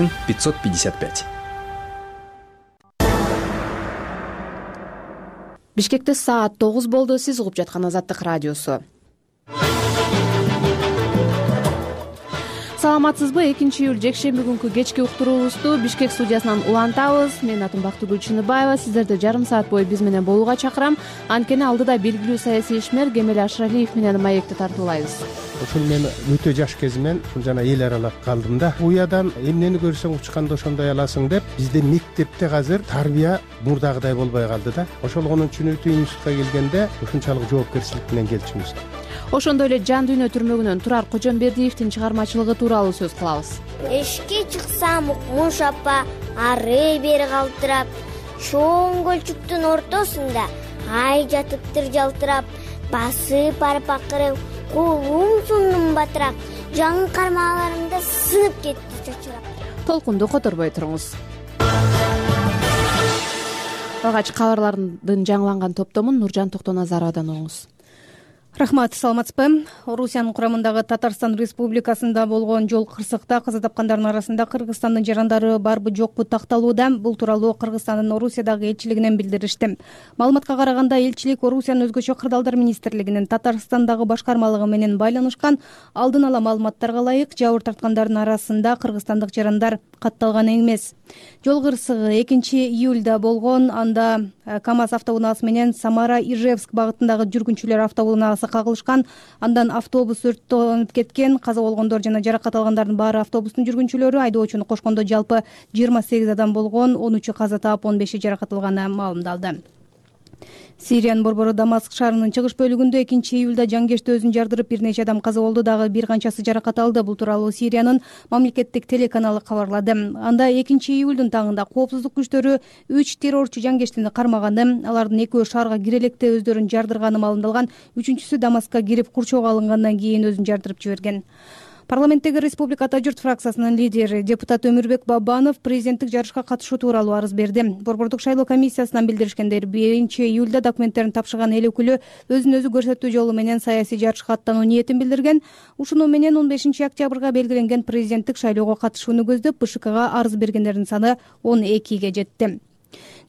555. Бишкекте саат 9 болду. Сиз угуп жаткан Азаттык радиосу. Саламатсызбы? 2-июль жекшемби күнкү кечки уктуруубузду Бишкек студиясынан улантабыз. Мен атым Бактыгүл Чыныбаева. Сиздерди жарым саат бою биз менен болууга чакырам. Анткени алдыда белгилүү саясий ишмер Кемел Ашыралиев менен маекти тартуулайбыз. Ушул мен өтө жаш кезимен жана эл аралап калдым да. Уядан эмнени көрсөң учканда ошондой аласың деп, бизде мектепте азыр тарбия мурдагыдай болбой калды да. Ошолгон үчүн институтка келгенде ушунчалык жоопкерчилик менен келчүбүз. Ошондой эле Жан дүйнө түрмөгүнөн Турар Кожомбердиевдин чыгармачылыгы тууралуу сөз кылабыз. Эшикке чыксам Укмуш апа ары бери калтырап, чоң көлчүктүн ортосунда ай жатыптыр жалтырап, басып барып акырып, колум сундум батырап, жаңы кармаларымда сынып кетти чочурап. Толкунду которбой туруңуз. Алгач кабарлардын жаңыланган топтомун Нуржан Токтоназаровадан угуңуз. Рахмат, саламатсызбы? Орусиянын курамындагы Татарстан Республикасында болгон жол кырсыкта каза тапкандардын арасында Кыргызстандын жарандары барбы жокпу такталууда. Бул тууралуу Кыргызстандын Орусиядагы элчилигинен билдиришти. Маалыматка караганда, элчилик Орусиянын өзгөчө кырдаалдар министрлигинин Татарстандагы башкармалыгы менен байланышкан алдын ала маалыматтарга ылайык жабыр тарткандардын арасында кыргызстандык жарандар катталган эмес. Жол кырсыгы 2-июлда болгон. Анда КамАЗ автоунаасы менен Самара-Ижевск багытындагы жүргүнчүлөр автоунаасы кагылышкан. Андан автобус өрттөнүп кеткен. Каза болгондор жана жаракат алгандардын баары автобустун жүргүнчүлөрү. Айдоочуну кошкондо жалпы 28 адам болгон. 13-ü каза таап, 15-и жаракат алганы маалымдалды. Сириянын борбору Дамаск шаарынын чыгыш бөлүгүндө 2-июлда жангешти өзүн жардырып, бир нече адам каза болду, дагы бир канчасы жаракат алды. Бул тууралуу Сириянын мамлекеттик телеканалы кабарлады. Анда 2-июлдун таңында коопсуздук күчтөрү 3 террорчу жангештини кармаганы, алардын 2-өө шаарга кире электе өздөрүн жардырганы маалымдалган. 3-үчүсү Дамаскка кирип курчоого алынгандан кийин өзүн жардырып жиберген. Парламенттеги Республика Ата журт фракциясынын лидери депутат Өмүрбек Бабанов президенттик жарышка катышуу тууралуу арыз берди. Борбордук шайлоо комиссиясынан билдиришкендер, 1-июлда документтерин тапшырган эл өкүлү өзүн өзү көрсөтүү жолу менен саясий жарышка аттануу ниетин билдирген. Ушуну менен 15-октябрга белгиленген президенттик шайлоого катышууну көздөп БШКга арыз бергендердин саны 12ге жетти.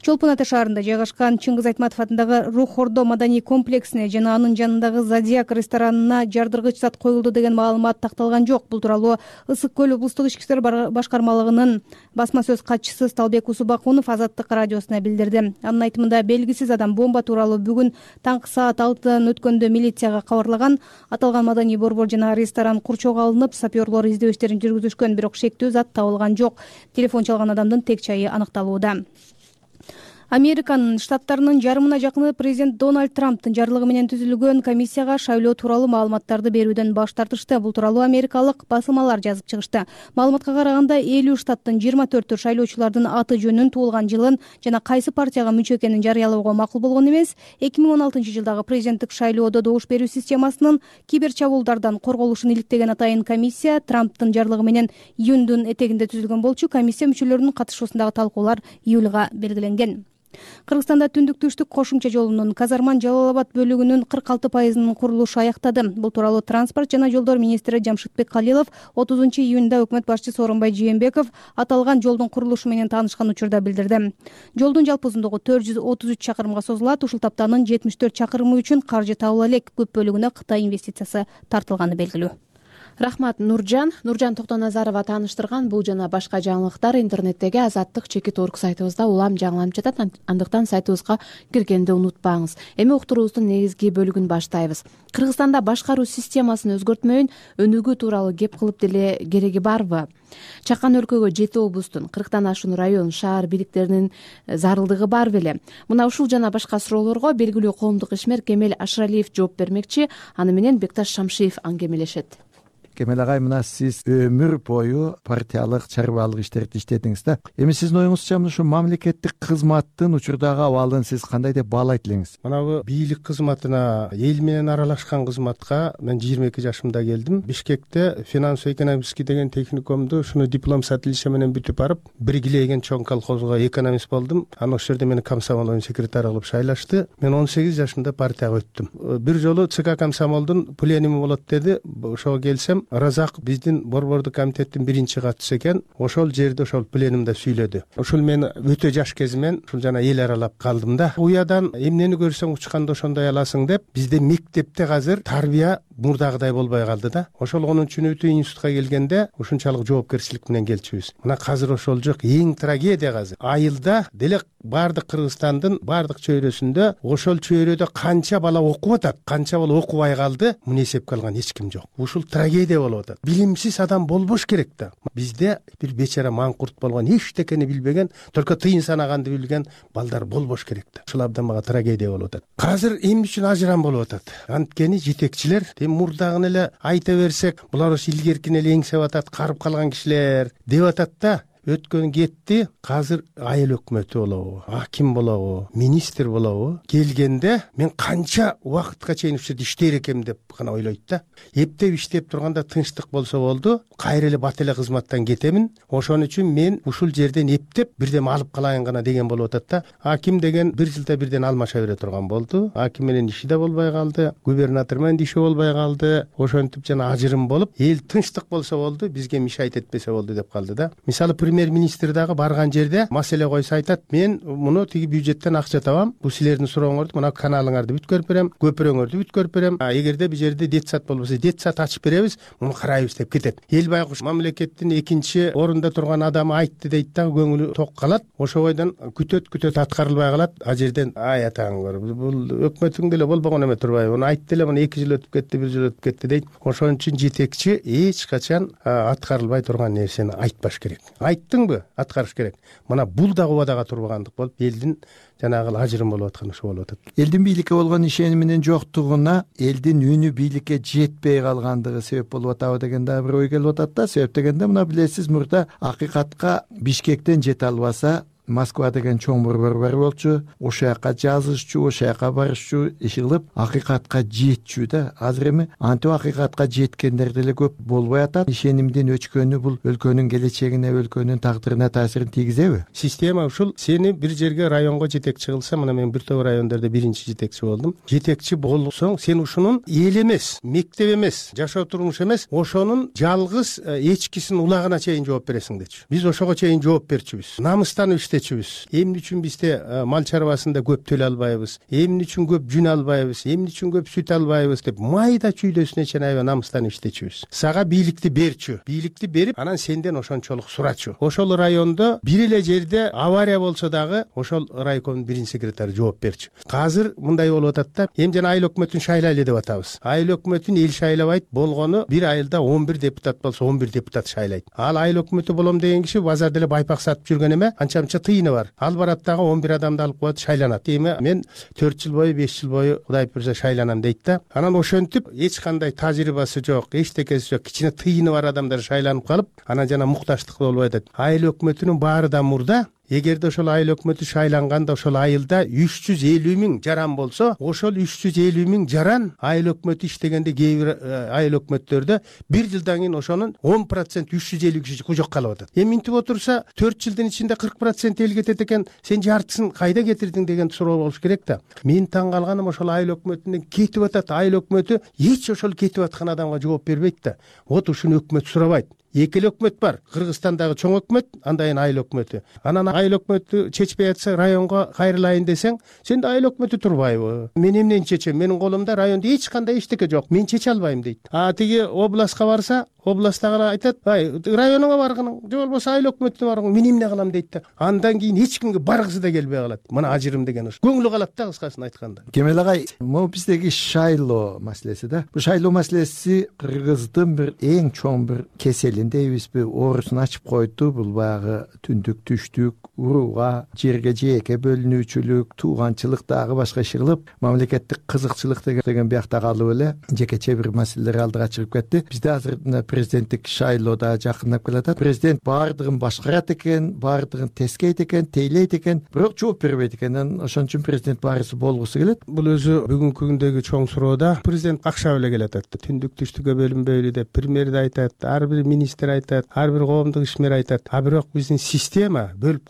Чолпон Ата шаарында жайгашкан Чыңгыз Айтматов атындагы Рух Ордо маданий комплексине жана анын жанындагы Зодиак ресторанына жардыргыч зат коюлду деген маалымат такталган жок. Бул тууралуу Ысык көл облустук ички иштер башкармалыгынын басма сөз катчысы Сталбек Усубакунов Азаттык радиосуна билдирди. Анын айтымында, белгисиз адам бомба тууралуу бүгүн таңкы саат 6 өткөндө милицияга кабарлаган. Аталган маданий борбор жана ресторан курчоого алынып, саперлор издөө иштерин жүргүзүшкөн, бирок шектүү зат табылган жок. Телефон чалган адамдын тек чайы аныкталууда. Американын штаттарынын жарымына жакыны президент Дональд Трамптын жарлыгы менен түзүлгөн комиссияга шайлоо тууралуу маалыматтарды берүүдөн баш тартышты. Бул тууралуу америкалык басылмалар жазып чыгышты. Маалыматка караганда, 50 штаттын 24-ü шайлоочулардын аты жөнүн, туулган жылын жана кайсы партияга мүчө экенин жарыялоого макул болгон эмес. 2016-жылдагы президенттик шайлоодо добуш берүү системасынын кибер чабуулдардан корголушун иликтеген атайын комиссия Трамптын жарлыгы менен июндун этегинде түзүлгөн болчу. Комиссия мүчөлөрүнүн катышуусундагы талкуулар июлга белгиленген. Кыргызстанда түндүк-түштүк кошумча жолунун Казарман-Жалал-Абад бөлүгүнүн 46%-нын курулушу аяктады. Бул тууралуу транспорт жана жолдор министри Жамшытбек Калилов 30-июнда өкмөт башчысы Сооронбай Жээнбеков аталган жолдун курулушу менен таанышкан учурда билдирди. Жолдун жалпы узундугу 433 чакырымга созулат. Ушул таптанын 74 чакырымы үчүн каржы табыла элек. Көп бөлүгүнө Кытай инвестициясы тартылганы белгилүү. Рахмат, Нуржан Токтоназарова тааныштырган. Бул жана башка жаңылыктар интернеттеги Азаттык.org сайтыбызда улам жаңыланып жатат. Андыктан сайтыбызга киргенди унутпаңыз. Эми уктуруубуздун негизги бөлүгүн баштайбыз. Кыргызстанда башкаруу системасын өзгөртмөйүн өнүгүү тууралуу кеп кылып деле кереги барбы? Чакан өлкөгө 7 облустун 40тан ашуун район, шаар бийликтеринин зарылдыгы бар беле? Мына ушул жана башка суроолорго белгилүү коомдук ишмер Кемел Ашыралиев жооп бермекчи. Аны менен Бекташ Шамшиев аңгемелешет. Кемел агай, мына сиз өмүр бою партиялык, чарбаалык иштерди иштедиңиз да. Эми сиздин оюңузча ушу мамлекеттик кызматтын учурдагы абалын сиз кандай деп баалайт элеңиз? Мына бийлик кызматына, эл менен аралашкан кызматка мен 22 жашымда келдим. Бишкекте финансово-экономический деген техникумду ушуну диплом с отличием менен бүтүп барып, Биргилеген чоң колхозго экономист болдум. Анан ошол жерде мени комсомол секретарь кылып шайлашты. Мен 18 жашымда партияга өттүм. Бир жолу ЦК комсомолдун пленуми болот деди. Ошого келсем, келдим. Ыразаков биздин борбордук комитеттин биринчи катчысы экен. Ошол жерде ошол пленумда сүйлөдү. Ошол мен өтө жаш кезимен ушул жана эл аралап калдым да. Уядан эмнени көрсөң учканда ошондой аласың деп, бизде мектепте азыр тарбия мурдагыдай болбой калды да. Ошол 10-сыныптуу институтка келгенде ушунчалык жоопкерчилик менен келчүбүз. Мына азыр ошол жок. Эң трагедия азыр. Айылда деле бардык Кыргызстандын бардык чөйрөсүндө ошол чөйрөдө канча бала окуп атат, канча бала окубай калды, муну эсепке алган эч ким жок. Ушул трагедия болуп атат. Билимсиз адам болбош керек да. Бизде бир бечара маңкурт болгон, эчтекени билбеген, только тыйын санаганды билген балдар болбош керек да. Ушул абдан мага трагедия болуп атат. Азыр эмне үчүн ажырам болуп атат? Анткени жетекчилер, мурдагын эле айта берсек, булар ошо илгеркини эле эңсеп атат, карып калган кишилер деп атат да. Өткөн кетти, азыр айыл өкмөтү болобу, аким болобу, министр болобу келгенде мен канча убакытка чейин ушул жерде иштейр экем деп гана ойлойт да. Эптеп иштеп турганда тынчтык болсо болду, кайра эле бат эле кызматтан кетемин. Ошон үчүн мен ушул жерден эптеп бирдеме алып калайын гана деген болуп атат да. Аким деген бир жылда бирден алмаша бере турган болду. Аким менен иши да болбой калды, губернатор менен иши болбой калды. Ошентип жана ажырым болуп, эл тынчтык болсо болду, бизге мешайт этпесе болду деп калды да. Мисалы премьер-министр дагы барган жерде маселе койсо айтат, мен муну тиги бюджеттен акча табам, бул силердин сурооңорду, мына каналыңарды бүткөрүп берем, көпүрөңөрдү бүткөрүп берем. Эгерде бул жерде детсад болбосо, детсад ачып беребиз, муну карайбыз деп кетет. Эл байкуш мамлекеттин экинчи орунда турган адамы айтты дейт да, көңүлү ток калат. Ошо бойдон күтөт аткарылбай калат. А жерден ай атаңыр, бул өкмөтүң деле болбогон эме турбайбы? Муну айтты эле, муну 2 жыл өтүп кетти, 1 жыл өтүп кетти дейт. Ошон үчүн жетекчи эч качан аткарылбай турган нерсени айтпаш керек. Айттыңбы? Аткарыш керек. Мына бул да убадага турбагандык болуп, элдин жанагы ажырым болуп аткан ошо болуп атат. Элдин бийликке болгон ишениминин жоктугуна элдин үнү бийликке жетпей калгандыгы себеп болуп атабы деген да бир ой келип атат да. Себеп дегенде мына билесиз, мурда акыйкатка Бишкектен жете албаса Москва деген чоң борбор болчу, ошол жака жазышчу, ошол жака барышчу, иш кылып акыйкатка жетчү да. Азыр эми антип акыйкатка жеткендер деле көп болбой атат. Ишенимдин өчкөнү бул өлкөнүн келечегине, өлкөнүн тагдырына таасирин тийгизеби? Система ушул. Сени бир жерге районго жетекчи кылса, мына мен бир топ райондордо биринчи жетекчи болдум. Жетекчи болсоң, сен ушунун эл эмес, мектеп эмес, жашоо турмуш эмес, ошонун жалгыз эчкисин улагына чейин жооп бересиң дечү. Биз ошого чейин жооп берчүбүз. Намыстан эмне үчүн бизде мал чарбасында көп төлөй албайбыз, эмне үчүн көп жүн албайбыз, эмне үчүн көп сүт албайбыз деп майда чүйдөсүнө чейин аябай намыстан иштечүбүз. Сага бийликти берчү, бийликти берип, анан сенден ошончолук сурачу. Ошол райондо бир эле жерде авария болсо дагы ошол райкомдун биринчи секретары жооп берчү. Азыр мындай болуп атат да, эми жана айыл өкмөтүн шайлайлы деп атабыз. Айыл өкмөтүн эл шайлабайт, болгону бир айылда 11 депутат болсо 11 депутат шайлайт. Ал айыл өкмөтү болом деген киши базарда эле байпак сатып жүргөн эме, анча-мынча тыйыны бар. Ал барат дагы 11 адамды алып коет, шайланат. Эми мен 4 жыл бою, 5 жыл бою Кудай буйрса шайланам дейт да. Анан ошентип эч кандай тажрыйбасы жок, эчтекеси жок, кичине тыйыны бар адамдар шайланып калып, анан жана мукташтык болбой атат. Айыл өкмөтүнүн баары да мурда. Эгерде ошол айыл өкмөтү шайланганда ошол айылда 350 миң жаран болсо, ошол 350 миң жаран айыл өкмөтү иштегенде кээ бир айыл өкмөттөрдө бир жылдан кийин ошонун 10% 350 киши кужок калып атат. Эми минтип отурса 4 жылдын ичинде 40% эл кетет экен, сен жартысын кайда кетирдиң деген суроо болуш керек да. Мен таң калганым ошол айыл өкмөтүнөн кетип атат. Айыл өкмөтү эч ошол кетип аткан адамга жооп бербейт да. Вот ушуну өкмөт сурабайт. Эки өкмөт бар. Кыргызстандагы чоң өкмөт, андан кийин айыл өкмөтү. Анан айыл өкмөтү чечпей атса, районго кайрылайын десең, сенде айыл өкмөтү турбайбы? Мен эмнени чечем? Менин колумда райондо эч кандай эчтеке жок. Мен чече албайм дейт. Тиги областка барса, областагылар айтат, районуңа баргын, же болбосо айыл өкмөтүнө баргын, мен эмне кылам дейт да. Андан кийин эч кимге баргысы да келбей калат. Мына ажырым деген ушу. Көңүлү калат да, кыскасын айтканда. Кемел агай, могу биздеги шайлоо маселеси да. Бул шайлоо маселеси Кыргыздын бир эң чоң бир кесели дейбизби, оорусун ачып койду. Бул баягы түндүк, түштүк, урууга, жерге жээкке бөлүнүүчүлүк, тууганчылык дагы башка иш кылып, мамлекеттик кызыкчылык деген биякта калып эле жекече бир маселелер алдыга чыгып кетти. Бизде азыр президенттик шайлоо да жакындап келатат. Президент баардыгын башкарат экен, баардыгын тескейт экен, тейлейт экен, бирок жооп бербейт экен. Ошон үчүн президент баарысы болгусу келет. Бул өзү бүгүнкү күндөгү чоң суроо да. Президент акча беле келатат. Түндүк түштүккө бөлүнбөйлү деп премьер да айтат, ар бир министр министр айтат, ар бир коомдук ишмер айтат. А бирок биздин система бөлүп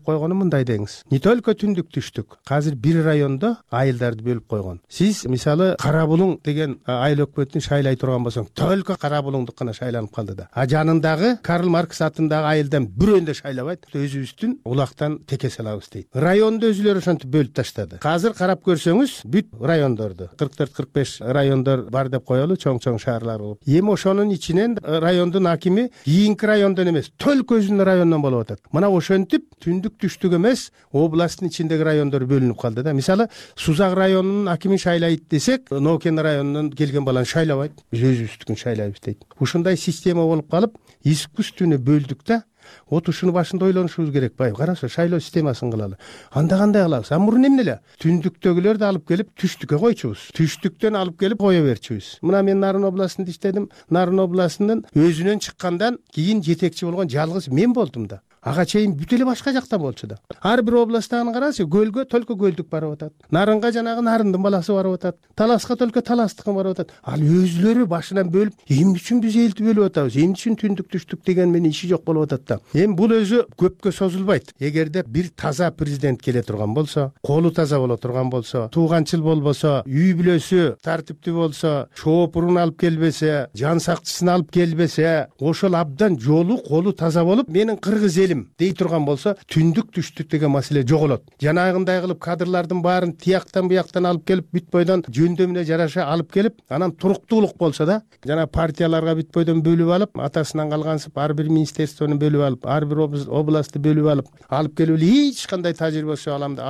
койгону мындай деңиз. Не только түндүк түштүк, азыр бир райондо айылдарды бөлүп койгон. Сиз мисалы Кара Булуң деген айыл өкмөтүн шайлай турган болсоң, только Кара Булуңдук гана шайланып калды да. А жанындагы Карл Маркс атындагы айылдан бирөөнү да шайлабайт. Өзүбүздүн улактан теке салабыз дейт. Районду өзүлөрү ошентип бөлүп таштады. Азыр карап көрсөңүз, бүт райондорду 44-45 райондор бар деп коелу, чоң-чоң шаарлар болуп. Эми ошонун ичинен райондун акими кийинки райондон эмес, только өзүнүн районунан болуп атат. Мына ошентип түндүк түштүк эмес, областтын ичиндеги райондор бөлүнүп калды да. Мисалы Сузак районунун акимин шайлайт десек, Нокен районунан келген баланы шайлабайт. Биз өзүбүздүкүн шайлайбыз дейт. Ушундай система болуп калып, искусственный бөлдүк да. Вот ушуну башында ойлонушубуз керек. Бай, караса, шайлоо системасын кылалы. Анда кандай кылабыз? Мурун эмне эле? Түндүктөгүлөрдү алып келип түштүккө койчубуз. Түштүктөн алып келип кое берчүбүз. Мына мен Нарын областында иштедим. Нарын областынын өзүнөн чыккандан кийин жетекчи болгон жалгыз мен болдум да. Ага чейин бүт эле башка жакта болчу да. Ар бир областтагын карасы, көлгө только көлдүк барып атат. Нарынга жанагы Нарындын баласы барып атат. Таласка только Таластыкын барып атат. Ал өзүлөрү башынан бөлүп, эмне үчүн биз элди бөлүп атабыз? Эмне үчүн түндүк түштүк деген менен иши жок болуп атат да. Эми бул өзү көпкө созулбайт. Эгерде бир таза президент келе турган болсо, колу таза боло турган болсо, тууганчыл болбосо, үй бүлөсү тартиптүү болсо, шоопурун алып келбесе, жан сакчысын алып келбесе, ошол абдан жолу, колу таза болуп, менин кыргыз дей турган болсо, түндүк түштүк деген маселе жоголот. Жанагындай кылып кадрлардын баарын тияктан буяктан алып келип, бүт бойдон жөндөмүнө жараша алып келип, анан туруктуулук болсо да, жана партияларга бүт бойдон бөлүп алып, атасынан калгансып, ар бир министерствону бөлүп алып, ар бир областты бөлүп алып келип эле эч кандай тажрыйбасы адамды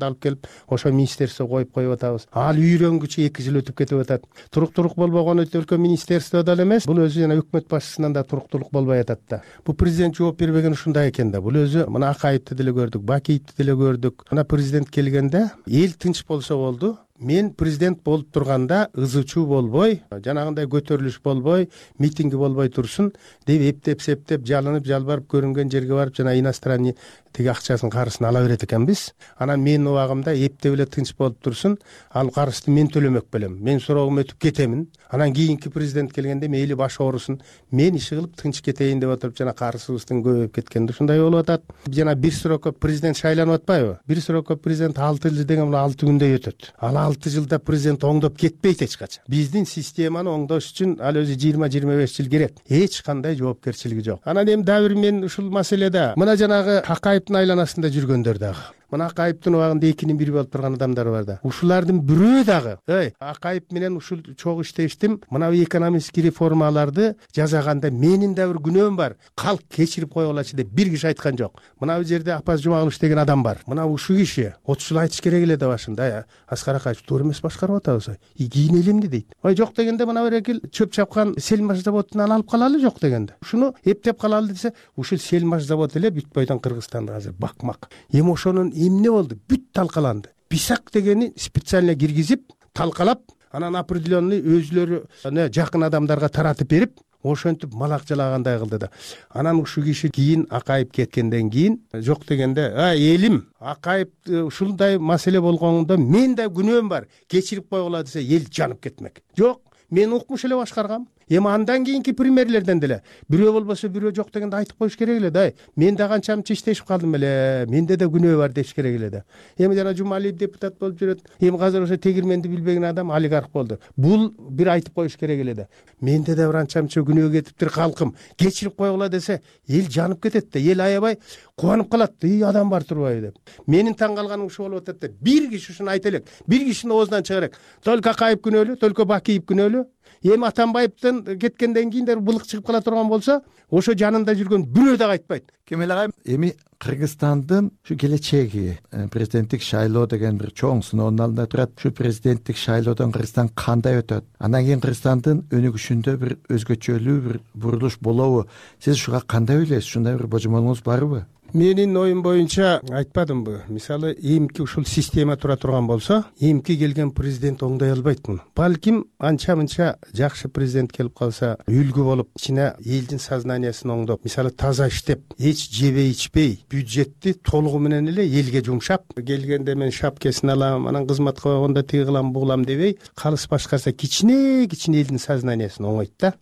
алып келип, ошо министерство коюп атабыз. Ал үйрөнгүчө 2 жыл өтүп кетип атат. Туруктуулук болбогону өлкө министерстводо эле эмес, бул өзү жана өкмөт башчысынан да туруктуулук болбой атат да. Бул президент жооп бербеген ушундай экен да. Бул өзү мына Акаевди деле көрдүк, Бакиевди деле көрдүк. Мына президент келгенде эл тынч болсо болду. Мен президент болуп турганда ызычуу болбой, жанагындай көтөрүлүш болбой, митинги болбой турсун деп эптеп-септеп, жалынып, жалбарып көрүнгөн жерге барып, жана иностранный тиги акчасын карысын ала берет экенбиз. Анан менин убагымда эптеп эле тынч болуп турсун, ал карызды мен төлөмөк белем. Мен сроогум өтүп кетемин. Анан кийинки президент келгенде мейли баш оорусун, мен иши кылып тынч кетейин деп отуруп, жана карызыбыздын көбөйүп кеткенде ушундай болуп атат. Жана бир срокко президент шайланып атпайбы? Бир срокко президент 6 жыл деген бул 6 күндө өтөт. Ал 6 жылда президент оңдоп кетпейт эч качан. Биздин системаны оңдош үчүн ал өзү 20-25 жыл керек. Эч кандай жоопкерчилиги жок. Анан эми дагы бир мен ушул маселеде мына жанагы Акаевдин айланасында жүргөндөр дагы. Мына Акаевдин убагында 2-nin 1 болуп турган адамдар бар да. Ушулардын бирөө дагы, Акаев менен ушул чогуу иштештим. Мына экономический реформаларды жасаганда менин да бир күнөөм бар. Калк кечирип койгулачы деп бир киши айткан жок. Мына бул жерде Апаз Жумагулович деген адам бар. Мына ушул киши 30 жыл айтыш керек эле да башында. Аскар Акаев туура эмес башкарып атабыз. Кийинели эмне дейт? Жок дегенде мына бир экил чөп чапкан Селмаш заводунан алып калалы жок дегенде. Ушуну эптеп калалы десе, ушул Селмаш завод эле бүт бойдон Кыргызстанда азыр бакмак. Эми ошонун эмне болду? Бүт талкаланды. Бисак дегени специально киргизип, талкалап, анан определенный өзүлөрү жакын адамдарга таратып берип, ошентип малак жалагандай кылды да. Анан ушул киши кийин Акаев кеткенден кийин жок дегенде, элим, Акаев ушундай маселе болгондо мен да күнөөм бар. Кечирип койгула десе, эл жанып кетмек. Жок, мен укмуш эле башкаргам. Эми андан кийинки премьерлерден деле бирөө болбосо бирөө жок дегенде айтып коюш керек эле да. Мен да канча мынча иштешип калдым эле. Менде да күнөө бар деш керек эле да. Эми жана Жумалиев депутат болуп жүрөт. Эми азыр ошо тегирменди билбеген адам олигарх болду. Бул бир айтып коюш керек эле да. Менде да бир анча мынча күнөө кетиптир калкым. Кечирип койгула десе, эл жанып кетет да. Эл аябай кубанып калат. Адам бар турбайбы деп. Менин таң калганым ушул болуп атат да. Бир киши ушуну айта элек. Бир кишинин оозунан чыга элек. Только Акаев күнөөлүү, только Бакиев күнөөлүү. Эми Атамбаевдин кеткенден кийин да былык чыгып кала турган болсо, ошо жанында жүргөн бирөө да айтпайт. Кемел агай, эми Кыргызстандын ушу келечеги, президенттик шайлоо деген бир чоң сыноонун алдында турат. Ушу президенттик шайлоодон Кыргызстан кандай өтөт? Андан кийин Кыргызстандын өнүгүшүндө бир өзгөчөлүү бир бурулуш болобу? Сиз ушуга кандай ойлойсуз? Ушундай бир божомолуңуз барбы? Менин оюм боюнча айтпадымбы? Мисалы, эмки ушул система тура турган болсо, эмки келген президент оңдой албайт муну. Балким анча-мынча жакшы президент келип калса, үлгү болуп, ичине элдин сознаниясын оңдоп, мисалы таза иштеп, эч жебей ичпей, бюджетти толугу менен эле элге жумшап, келгенде мен шапкесин алам, анан кызматка койгондо тиги кылам, бу кылам дебей, калыс башкарса кичине элдин сознаниясын оңойт да.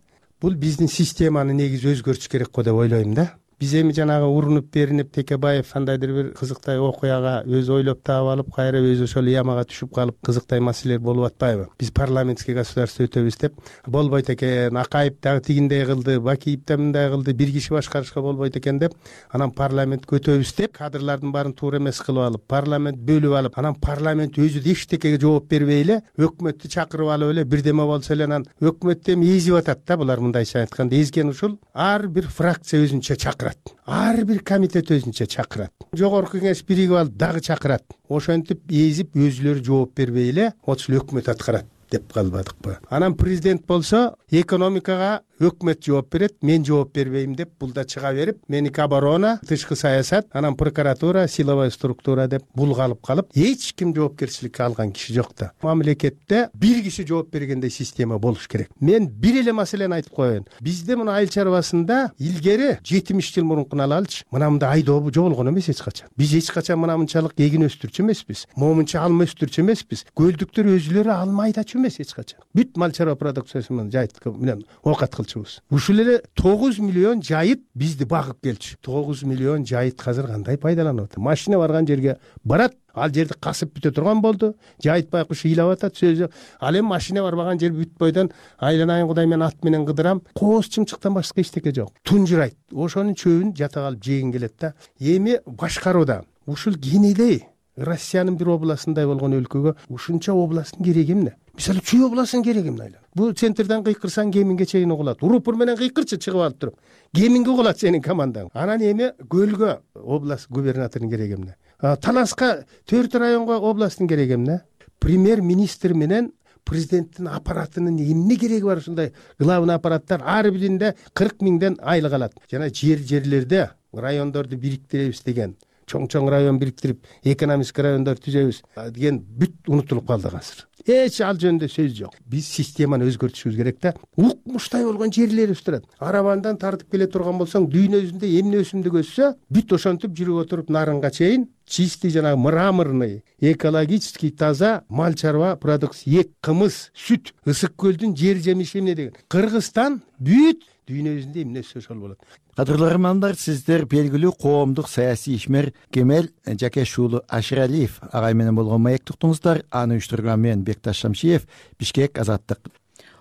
бул биздин системаны негизи өзгөртүш керек го деп ойлойм да. Биз эми жанагы урунуп беринип Текебаев кандайдыр бир кызыктай окуяга өзү ойлоп таап алып, кайра өзү ошол ямага түшүп калып кызыктай маселелер болуп атпайбы? Биз парламентский государство өтөбүз деп болбойт экен, Акаев дагы тигиндей кылды, Бакиев да мындай кылды, бир киши башкарышка болбойт экен деп, анан парламентке өтөбүз деп, кадрлардын баарын туура эмес кылып алып, парламент бөлүп алып, анан парламент өзү да эчтекеге жооп бербей эле, өкмөттү чакырып алып эле бирдеме болсо эле анан өкмөттү эми эзип атат да. Булар мындайча айтканда эзген ушул ар бир фракция өзүнчө чакырат. Ар бир комитет өзүнчө чакырат. Жогорку кеңеш биригип алып дагы чакырат. Ошентип эзип өзүлөрү жооп бербей эле ошол өкмөт аткарат деп калбадыкпы? Анан президент болсо экономикага өкмөт жооп берет, мен жооп бербейм деп бул да чыга берип, меники оборона, тышкы саясат, анан прокуратура, силовой структура деп булгалып калып, эч ким жоопкерчиликке алган киши жок да. Мамлекетте бир киши жооп бергендей система болуш керек. Мен бир эле маселени айтып коеюн. Бизде мына айыл чарбасында илгери 70 жыл мурункуну алалычы, мындай айдоо жоголгон эмес эч качан. Биз эч качан мына мынчалык эгин өстүрчү эмеспиз, момунча алма өстүрчү эмеспиз. Көлдүктөр өзүлөрү алма айдачу эмес эч качан. Бүт мал чарба продукциясы менен жайыт менен оокат кылчубуз. Ушул эле 9 миллион жайыт бизди багып келчү. 9 миллион жайыт азыр кандай пайдаланып атат? Машина барган жерге барат, ал жерди касып бүтө турган болду. Жайыт байкуш ыйлап атат сөзү. Ал эми машина барбаган жер бүт бойдон айланайын Кудай мен ат менен кыдырам. Кооз чымчыктан башка эчтеке жок. Тунжурайт. Ошонун чөбүн жата калып жегин келет да. Эми башкарууда ушул кенедей Россиянын бир областындай болгон өлкөгө ушунча областтын кереги эмне? Мисалы Чүй областынын кереги эмне? Бул центрден кыйкырсаң Кеминге чейин угулат. Урупур менен кыйкырчы чыгып алып туруп. Кеминге угулат сенин командаң. Анан эми Көлгө область губернаторунун кереги эмне? Таласка 4 районго областтын кереги эмне? Премьер-министр менен президенттин аппаратынын эмне кереги бар ушундай главный аппараттар ар биринде 40 миңден айлык алат. Жана жерлерде райондорду бириктиребиз деген, чоң район бириктирип, экономик райондор түзөбүз деген бүт унутулуп калды азыр. Эч ал жөнүндө сөз жок. Биз системаны өзгөртүшүбүз керек да. Укмуштай болгон жерлерибиз турат. Арабандан тартып келе турган болсоң, дүйнө жүзүндө эмне өсүмдүк өссө, бүт ошентип жүрүп отуруп нарынга чейин чистый жанагы мраморный, экологический таза мал чарба продукция, эк, кымыз, сүт, ысык көлдүн жер жемиши эмне деген. Кыргызстан бүт дүйнө жүзүндө эмне өссө ошол болот. Кадырлуу көрөрмандар, сиздер белгилүү коомдук саясий ишмер Кемел Жакеш уулу Ашыралиев агай менен болгон маектик уктуңуздар. Аны уюштурган мен Бекташ Шамшиев, Бишкек, Азаттык.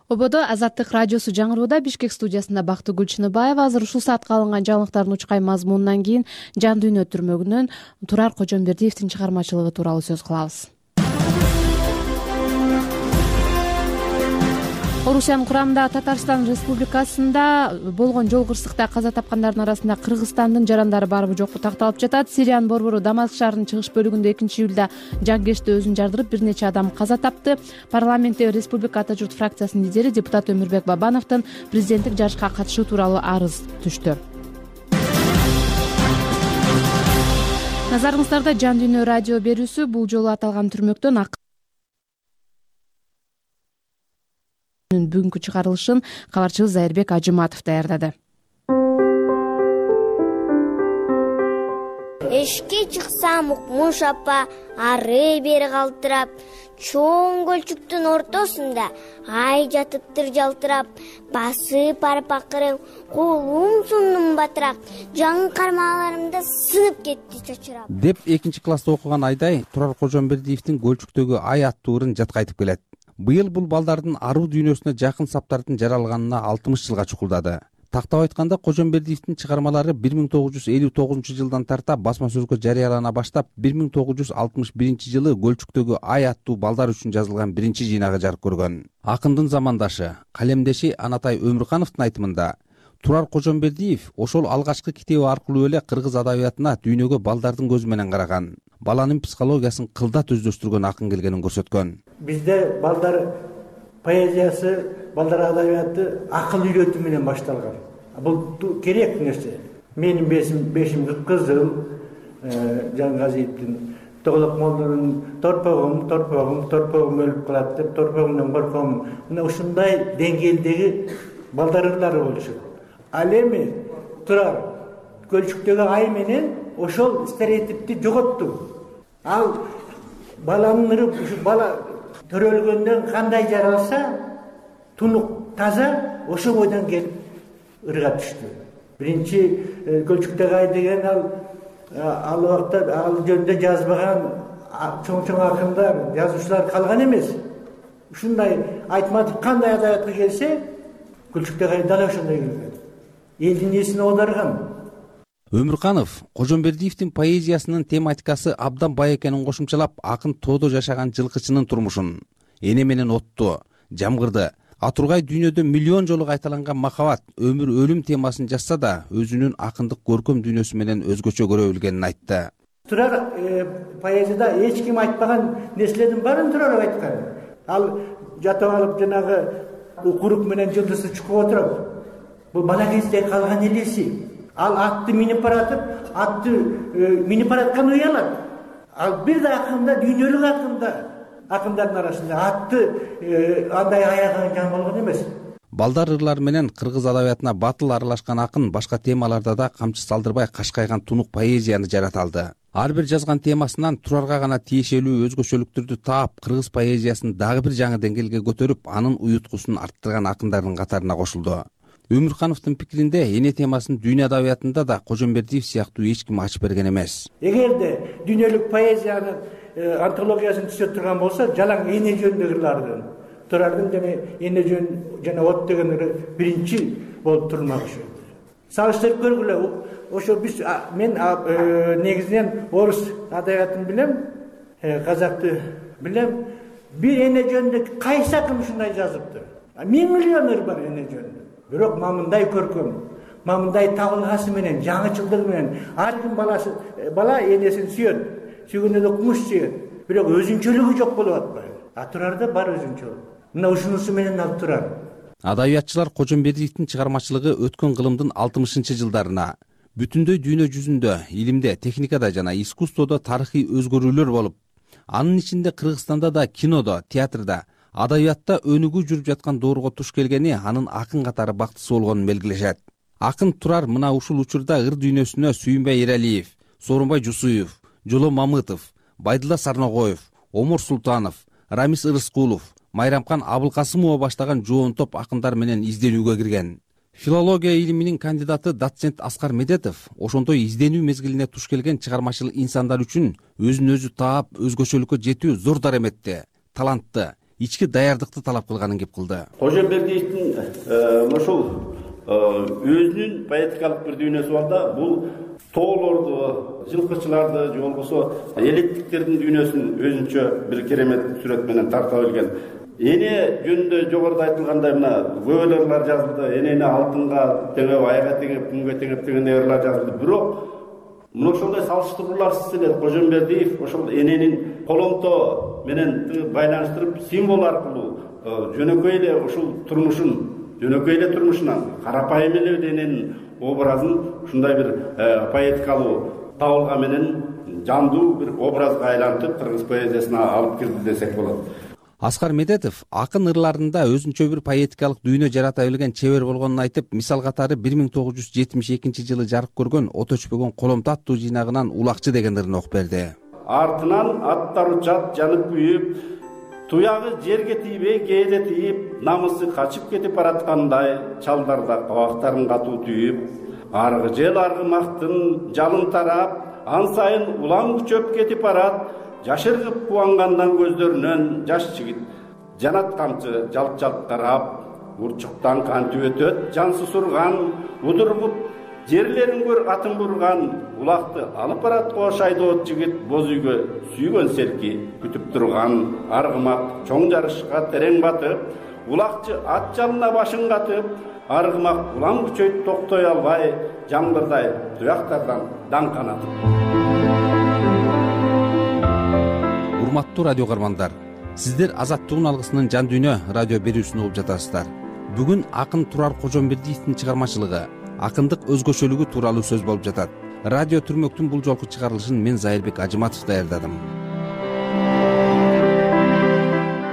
Ободо Азаттык радиосу жаңырууда. Бишкек студиясында Бактыгүл Чыныбаева. Азыр ушул саатка алынган жаңылыктардын учкай мазмунунан кийин Жан дүйнө түрмөгүнөн Турар Кожомбердиевдин чыгармачылыгы тууралуу сөз кылабыз. Орусиянын курамындагы Татарстан Республикасында болгон жол кырсыкта каза тапкандардын арасында Кыргызстандын жарандары барбы жокпу такталып жатат. Сириянын борбору Дамаск шаарынын чыгыш бөлүгүндө 2-июлда жангешти өзүн жардырып, бир нече адам каза тапты. Парламентте Республика Ата журт фракциясынын лидери депутат Өмүрбек Бабановдун президенттик жарышка катышуу тууралуу арыз түштү. Назарыңыздарда Жан дүйнө радио берүүсү. Бул жолу аталган түрмөктөн бүгүнкү чыгарылышын кабарчыбыз Айырбек Ажыматов даярдады. Эшикке чыксам Укмуш апа ары бери калтырап, чоң көлчүктүн ортосунда ай жатыптыр жалтырап, басып барып акыры колум сундум батырак, жаңы кармаларымда сынып кетти чочурап деп 2-класста окуган Айдай Турар Кожомбердиевдин Көлчүктөгү ай аттуу ырын жатка айтып келет. Быйыл бул балдардын аруу дүйнөсүнө жакын саптардын жаралганына 60 жылга чукулдады. Тактап айтканда Кожомбердиевдин чыгармалары 1959 жылдан тарта басма сөзгө жарыялана баштап 1961 жылы Көлчүктөгү ай аттуу балдар үчүн жазылган биринчи жыйнагы жарык көргөн. Акындын замандашы, калемдеши Анатай Өмүркановдун айтымында Турар Кожомбердиев ошол алгачкы китеби аркылуу эле кыргыз адабиятына дүйнөгө балдардын көзү менен караган, баланын психологиясын кылдат өздөштүргөн акын келгенин көрсөткөн. Бизде балдар поэзиясы, балдар адабияты акыл үйрөтүү менен башталган. Бул керек нерсе. Менин бешим кыпкызыл, Жангазиевдин Тоголок молдунун торпогум өлүп калат деп, торпогумдан корком. Мына ушундай деңгээлдеги балдар ырлары болушат. Ал эми Турар Көлчүктөгү ай менен ошол стереотипти жоготту. Ал баланын ыры, ушу бала төрөлгөндөн кандай жаралса, тунук таза ошол бойдон келип ырга түштү. Биринчи Көлчүктөгү ай деген ал убакта ал жөнүндө жазбаган чоң акындар, жазуучулар калган эмес. Ушундай Айтматов кандай адабиятка келсе, Көлчүктөгү ай дагы ошондой келген. Элдин эсине оодарган. Өмүрканов Кожомбердиевдин поэзиясынын тематикасы абдан бай экенин кошумчалап, акын тоодо жашаган жылкычынын турмушун, эне менен отту, жамгырды, атургай дүйнөдө миллион жолу кайталанган махабат, өмүр, өлүм темасын жазса да, өзүнүн акындык көркөм дүйнөсү менен өзгөчө көрө билгенин айтты. Турар поэзияда эч ким айтпаган нерселердин баарын Турар айткан. Ал жатып алып жанагы курук менен жылдызды чукуп отуруп, бул бала кезде калган элеси. Ал атты минип баратып, атты минип бараткан уялат. Ал бир да акында, дүйнөлүк акындардын арасында атты андай аяган жан болгон эмес. Балдар ырлары менен кыргыз адабиятына батыл аралашкан акын башка темаларда да камчы салдырбай кашкайган тунук поэзияны жарата алды. Ар бир жазган темасынан Турарга гана тиешелүү өзгөчөлүктөрдү таап, кыргыз поэзиясын дагы бир жаңы деңгээлге көтөрүп, анын уюткусун арттырган акындардын катарына кошулду. Өмүркановдун пикиринде эне темасын дүйнө адабиятында да Кожомбердиев сыяктуу эч ким ачып берген эмес. Эгерде дүйнөлүк поэзиянын антологиясын түзөп турган болсо, жалаң эне жөнүндөгү ырлардын, Турардын жана эне жөн жана от деген ыры биринчи болуп турмак ушу. Салыштырып көргүлө. Ошо мен негизинен орус адабиятын билем, казакты билем. Бир эне жөнүндө кайсы акын ушундай жазыптыр? 1000 миллион ыр бар эне жөнүндө. Бирок мамындай көркөм, мамындай табылгасы менен, жаңычылдыгы менен ар ким бала энесин сүйөт, сүйгөндө да кумуш сүйөт. Бирок өзүнчөлүгү жок болуп атпайбы? Турарда бар өзүнчөлүк. Мына ушунусу менен алып турар. Адабиятчылар Кожомбердиевдин чыгармачылыгы өткөн кылымдын 60-жылдарына бүтүндөй дүйнө жүзүндө, илимде, техникада жана искусстводо тарыхый өзгөрүүлөр болуп, анын ичинде Кыргызстанда да кинодо, театрда, адабиятта өнүгүү жүрүп жаткан доорго туш келгени анын акын катары бактысы болгонун белгилешет. Акын Турар мына ушул учурда ыр дүйнөсүнө Сүйүнбай Эралиев, Соорунбай Жусуев, Жоло Мамытов, Байдылла Сарногоев, Омор Султанов, Рамис Ырыскулов, Майрамкан Абылкасымова баштаган жоонтоп акындар менен изденүүгө кирген. Филология илиминин кандидаты доцент Аскар Медетов ошондой изденүү мезгилине туш келген чыгармачыл инсандар үчүн өзүн өзү таап, өзгөчөлүккө жетүү зор дараметти, талантты, ички даярдыкты талап кылганын кеп кылды. Кожомбердиевдин ошол өзүнүн поэтикалык бир дүйнөсү бар да, бул тоолорду, жылкычыларды же болбосо элеттиктердин дүйнөсүн өзүнчө бир керемет сүрөт менен тарта билген. Эне жөнүндө жогоруда айтылгандай мына көбөлөр жазылды, энени алтынга теңеп, айга теңеп, күнгө теңеп деген ырлар жазылды. Бирок мына ошондой салыштырууларсыз эле Кожомбердиев ошол эненин коломто менен байланыштырып, символ аркылуу жөнөкөй эле ушул турмушунан карапайым эле эненин образын ушундай бир поэтикалуу табылга менен жандуу бир образга айлантып кыргыз поэзиясына алып кирди десек болот. Аскар Медетов акын ырларында өзүнчө бир поэтикалык дүйнө жарата билген чебер болгонун айтып, мисал катары 1972 жылы жарык көргөн От өчпөгөн коломто аттуу жыйнагынан Улакчы деген ырын окуп берди. Артынан аттар учат жанып күйүп, туягы жерге тийбей кээде тийип, намысы качып кетип бараткандай, чалдарда кабактарын катуу түйүп, аргы жел аргымактын жалын тарап, ан сайын улам күчөп кетип барат. Жашыргып кубангандан көздөрүнөн жаш жигит жанат камчы жалт-жалт тарап, урчуктан кантип өтөт жансыз урган, удургуп жерлерин көр атын бурган, улакты алып барат кош айдоот жигит, боз үйгө сүйгөн селки күтүп турган, аргымак чоң жарышка терең батып, улакчы ат жалына башын катып, аргымак улам күчөйт токтой албай, жамгырдай туяктардан даң канатып. Урматтуу радио каармандар, сиздер Азаттыгын алгысынын жан дүйнө радио берүүсүн угуп жатасыздар. Бүгүн акын Турар Кожомбердиевдин чыгармачылыгы, акындык өзгөчөлүгү тууралуу сөз болуп жатат. Радио Түрмөктүн бул жолку чыгарылышын мен Зайырбек Ажыматов даярдадым.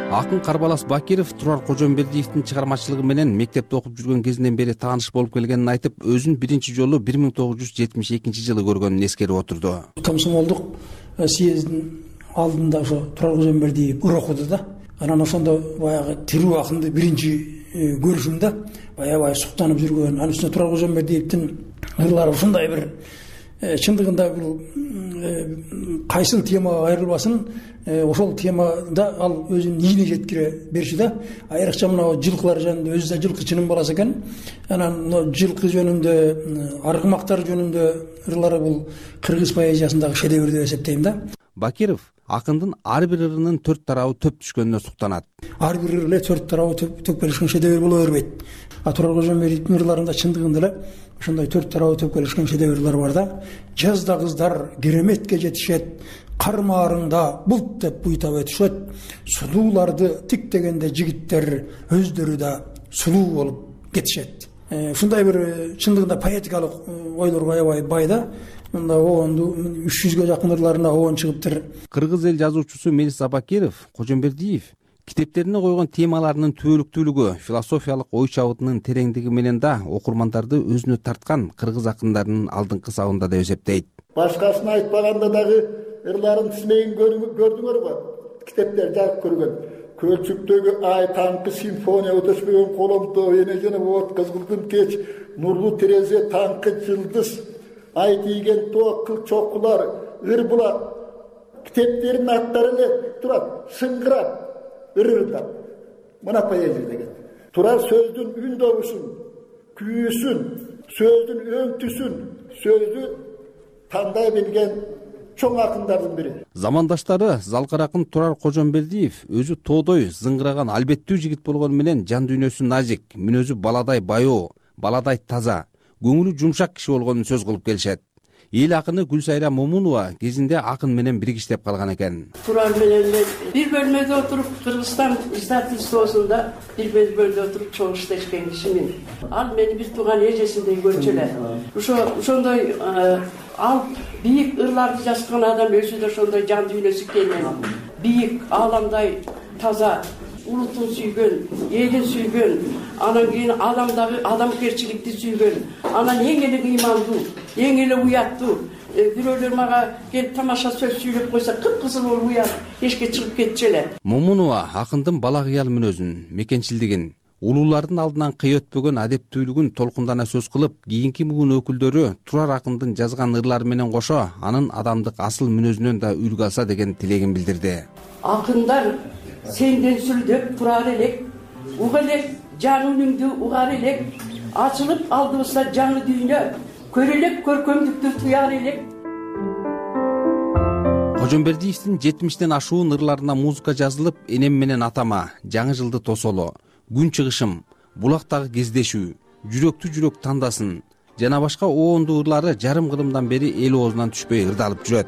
Акын Карбалас Бакиров Турар Кожомбердиевдин чыгармачылыгы менен мектепте окуп жүргөн кезинен бери тааныш болуп келгенин айтып, өзүн биринчи жолу 1972 жылы көргөнүн эскерип отурду. Комсомолдук съездин алдында ошо Турар Кожомбердиев ыр окуду да. Анан ошондо баягы тирүү акынды биринчи көрүшүм да, аябай суктанып жүргөн. Анын үстүнө Турар Кожомбердиевдин ырлары ушундай бир чындыгында бул кайсыл темага кайрылбасын, ошол темада ал өзүнүн ийине жеткире берчү да. Айрыкча мына жылкылар жөнүндө, өзү да жылкычынын баласы экен. Анан жылкы жөнүндө, аргымактар жөнүндө ырлары бул кыргыз поэзиясындагы шедевр деп эсептейм да. Бакиров акындын ар бир ырынын 4 тарабы төп түшкөнүнө суктанат. Ар бир ыр эле 4 тарабы төп келишкен шедевр боло бербейт. Турар Кожомбердиевдин ырларында чындыгында эле ошондой 4 тарабы төп келишкен шедеврлер бар да. Жазда кыздар кереметке жетишет, кармаарыңда булт деп буйтап өтүшөт, сулууларды тиктегенде жигиттер өздөрү да сулуу болуп кетишет. Ушундай бир чындыгында поэтикалык ойлорго аябай бай да. Мында оонду 300гө жакын ырларына оон чыгыптыр. Кыргыз эл жазуучусу Мелис Абакиров Кожомбердиев китептерине койгон темаларынын түбөлүктүүлүгү, философиялык ой чабытынын тереңдиги менен да окурмандарды өзүнө тарткан кыргыз акындарынын алдыңкы сабында деп эсептейт. Башкасын айтпаганда дагы ырларын тизмегин көрдүңөрбү? Китептер жазып көргөн. Көлчүктөгү ай таңкы симфония өтөшпөгөн коломто эне жана от кызгылдын кеч, нурлуу терезе таңкы жылдыз, ай тийген тоо кыл чокулар, ыр булат. Китептердин аттары эле турат, шыңгырат, ырырдап. Мына поэзия деген. Турар сөздүн үн добушун, күйүүсүн, сөздүн өңтүсүн, сөздү тандай билген чоң акындардын бири. Замандаштары залкар акын Турар Кожомбердиев өзү тоодой зыңгыраган албеттүү жигит болгону менен жан дүйнөсү назик, мүнөзү баладай баяу, баладай таза, көңүлү жумшак киши болгонун сөз кылып келишет. Эл акыны Гүлсайра Момунова кезинде акын менен биригиштеп калган экен. Турар менен бир бөлмөдө отуруп, Кыргызстан издательствосунда бир бөлмөдө отуруп чогуу иштешкен кишимин. Ал мени бир тууган эжесиндей көрчү эле. Ошондой ал бийик ырларды жазган адам өзү да ошондой жан дүйнөсү кенен, бийик, ааламдай таза, улутун сүйгөн, элин сүйгөн, анан кийин адамдагы адамгерчиликти сүйгөн, анан эң эле ыймандуу, эң эле уяттуу. Бирөөлөр мага келип тамаша сөз сүйлөп койсо, кып-кызыл болуп уят, эшикке чыгып кетчү эле. Момунова акындын бала кыял мүнөзүн, мекенчилдигин, улуулардын алдынан кый өтпөгөн адептүүлүгүн толкундана сөз кылып, кийинки муун өкүлдөрү Турар акындын жазган ырлары менен кошо, анын адамдык асыл мүнөзүнөн да үлгү алса деген тилегин билдирди. Акындар сенден сүлдөп турар элек, уга элек жан үнүңдү угар элек, ачылып алдыбызда жаңы дүйнө, көрөлек көркөмдүктү туяр элек. Кожомбердиевдин 70тен ашуун ырларына музыка жазылып, энем менен атама, жаңы жылды тосоло, күн чыгышым, булактагы кездешүү, жүрөктү жүрөк тандасын жана башка оондуу ырлары жарым кылымдан бери эл оозунан түшпөй ырдалып жүрөт.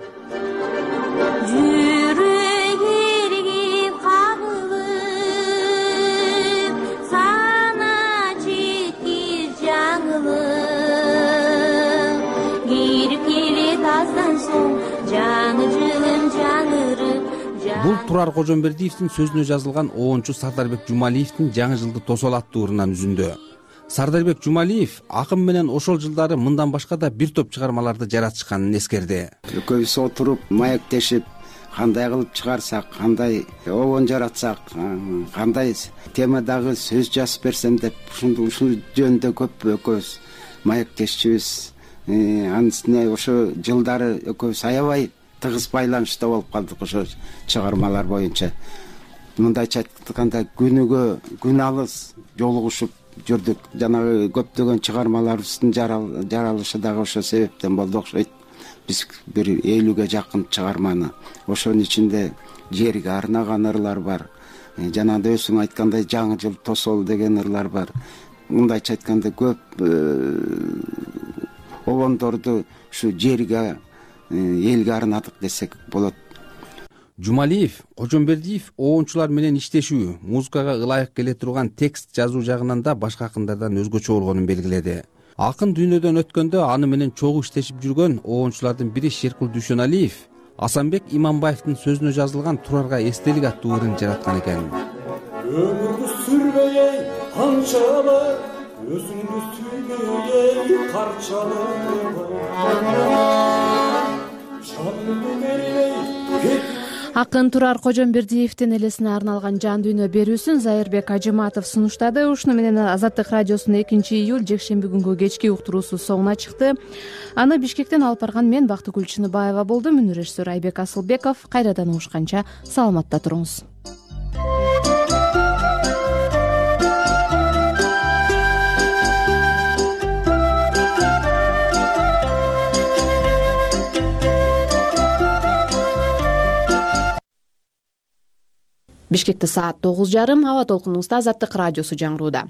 Бул Турар Кожомбердиевдин сөзүнө жазылган оончу Сардарбек Жумалиевдин жаңы жылды тосол аттуу ырынан үзүндү. Сардарбек Жумалиев акын менен ошол жылдары мындан башка да бир топ чыгармаларды жаратышканын эскерди. Экөөбүз отуруп, маектешип, кандай кылып чыгарсак, кандай оон жаратсак, кандай темадагы сөз жазып берсем деп ушул жөнүндө көп экөөбүз маектешчүбүз. Анын үстүнө ошо жылдары экөөбүз аябай тыгыз байланышта болуп калдык ошо чыгармалар боюнча. Мындайча айтканда күн алыс жолугушуп жүрдүк. Жанагы көптөгөн чыгармаларыбыздын жаралышы дагы ошо себептен болду окшойт. Биз бир 50ге жакын чыгарманы, ошонун ичинде жерге арнаган ырлар бар. Жанагы өзүң айткандай жаңы жыл тосол деген ырлар бар. Мындайча айтканда көп обондорду ушу жерге, элге арнадык десек болот. Жумалиев Кожомбердиев оончулар менен иштешүү, музыкага ылайык келе турган текст жазуу жагынан да башка акындардан өзгөчө болгонун белгиледи. Акын дүйнөдөн өткөндө аны менен чогуу иштешип жүргөн оончулардын бири Шеркул Дүйшөналиев Асанбек Иманбаевдин сөзүнө жазылган Турарга эстелик аттуу ырын жараткан экен. Өмүрдү сүрбөй канчалык, өзүңдү сүйбөй карчалык. Акын Турар Кожомбердиевдин элесине арналган жан дүйнө берүүсүн Зайырбек Ажыматов сунуштады. Ушуну менен Азаттык радиосунун 2-июль жекшемби күнгү кечки уктуруусу соңуна чыкты. Аны Бишкектен алып барган мен Бактыгүл Чыныбаева болдум. Үнү режиссер Айбек Асылбеков. Кайрадан угушканча саламатта туруңуз. Бишкекте саат 9:30. Аба толкунубузда Азаттык радиосу жаңырууда.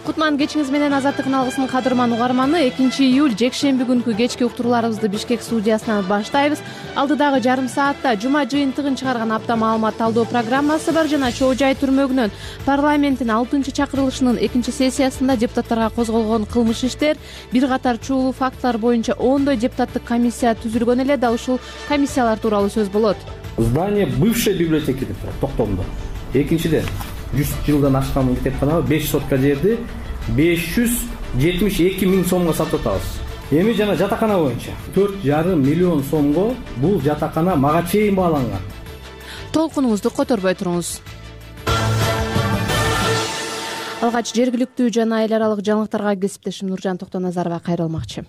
Кутман кечиңиз менен Азаттыктын алгысынын кадырман угарманы. 2-июль жекшемби күнкү кечки уктурууларыбызды Бишкек студиясынан баштайбыз. Алдыдагы жарым саатта жума жыйынтыгын чыгарган апта маалымат талдоо программасы бар жана Чоо Жай түрмөгүнөн парламенттин 6-чакырылышынын 2-сессиясында депутаттарга козголгон кылмыш иштер, бир катар чуулуу фактылар боюнча ондой депутаттык комиссия түзүлгөн эле. Да ушул комиссиялар тууралуу сөз болот. Здание бывшей библиотеки деп турат Токтомдо. Экинчиден 100 жылдан ашкан китепканабы 5 сотка жерди 572 миң сомго сатып атабыз. Эми жана жатакана боюнча 4,5 миллион сомго бул жатакана мага чейин бааланган. Толкунуңузду которбой туруңуз. Алгач жергиликтүү жана эл аралык жаңылыктарга кесиптешим Нуржан Токтоназарова кайрылмакчы.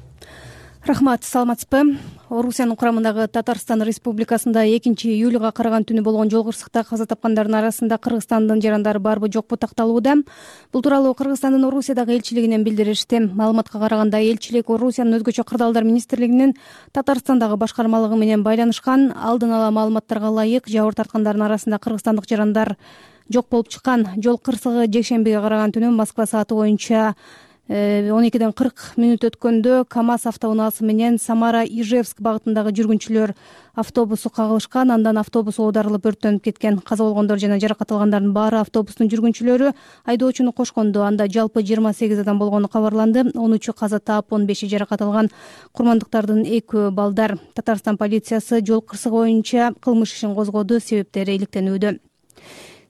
Рахмат, саламатсызбы? Орусиянын курамындагы Татарстан Республикасында 2-июлга караган түнү болгон жол кырсыкта каза тапкандардын арасында Кыргызстандын жарандары барбы жокпу такталууда. Бул тууралуу Кыргызстандын Орусиядагы элчилигинен билдиришти. Маалыматка караганда элчилик Орусиянын өзгөчө кырдаалдар министрлигинин Татарстандагы башкармалыгы менен байланышкан. Алдын ала маалыматтарга ылайык жабыр тарткандардын арасында кыргызстандык жарандар жок болуп чыккан. Жол кырсыгы жекшембиге караган түнү Москва сааты боюнча 12:40 өткөндө КамАЗ автоунаасы менен Самара-Ижевск багытындагы жүргүнчүлөр автобусу кагылышкан. Андан автобус оодарылып өрттөнүп кеткен. Каза болгондор жана жаракат алгандардын баары автобустун жүргүнчүлөрү, айдоочуну кошкондо. Анда жалпы 28 адам болгону кабарланды. 13-ü каза таап, 15-и жаракат алган. Курмандыктардын 2 балдар. Татарстан полициясы жол кырсыгы боюнча кылмыш ишин козгоду, себептери иликтенүүдө.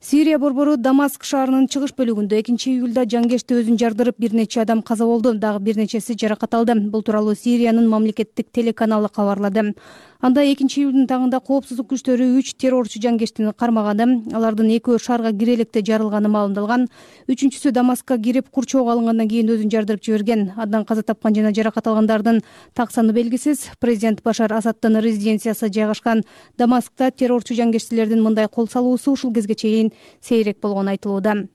Сирия борбору Дамаск шаарынын чыгыш бөлүгүндө 2-июлда жангешти өзүн жардырып, бир нече адам каза болду, дагы бир нечеси жаракат алды. Бул тууралуу Сириянын мамлекеттик телеканалы кабарлады. Анда 2-июлдун таңында коопсуздук күчтөрү 3 террорчу жангештини кармаганы, алардын 2-өө шаарга кире электе жарылганы маалымдалган. 3-үчүсү Дамаскка кирип курчоого алынгандан кийин өзүн жардырып жиберген. Андан каза тапкан жана жаракат алгандардын так саны белгисиз. Президент Башар Асаддын резиденциясы жайгашкан Дамаскта террорчу жангештилердин мындай кол салуусу ушул кезге чейин сейрек болгону айтылууда.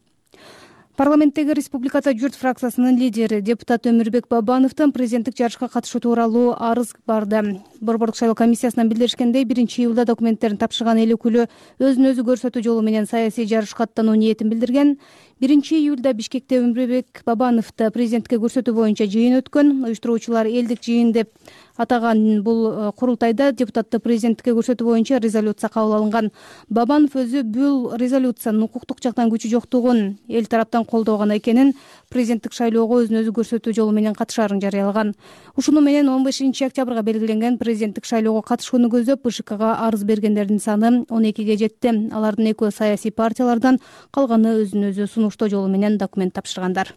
Парламенттеги Республиката журт фракциясынын лидери депутат Өмүрбек Бабановдон президенттик жарышка катышуу тууралуу арыз барды. Борбордук шайлоо комиссиясынан билдиришкендей, 1-июлда документтерин тапшырган эл өкүлү өзүн өзү көрсөтүү жолу менен саясий жарышка аттануу ниетин билдирген. 1-июлда Бишкекте Өмүрбек Бабановду президентке көрсөтүү боюнча жыйын өткөн. Уюштуруучулар элдик жыйын деп атаган бул курултайда депутатты президентке көрсөтүү боюнча резолюция кабыл алынган. Бабанов өзү бул резолюциянын укуктук жактан күчү жоктугун, эл тараптан колдогон экенин, президенттик шайлоого өзүн өзү көрсөтүү жолу менен катышаарын жарыялаган. Ушуну менен 15-октябрга белгиленген президенттик шайлоого катышууну көздөп БШКга арыз бергендердин саны 12ге жетти. Алардын 2-өө саясий партиялардан, калганы өзүн өзү сунуштоо жолу менен документ тапшыргандар.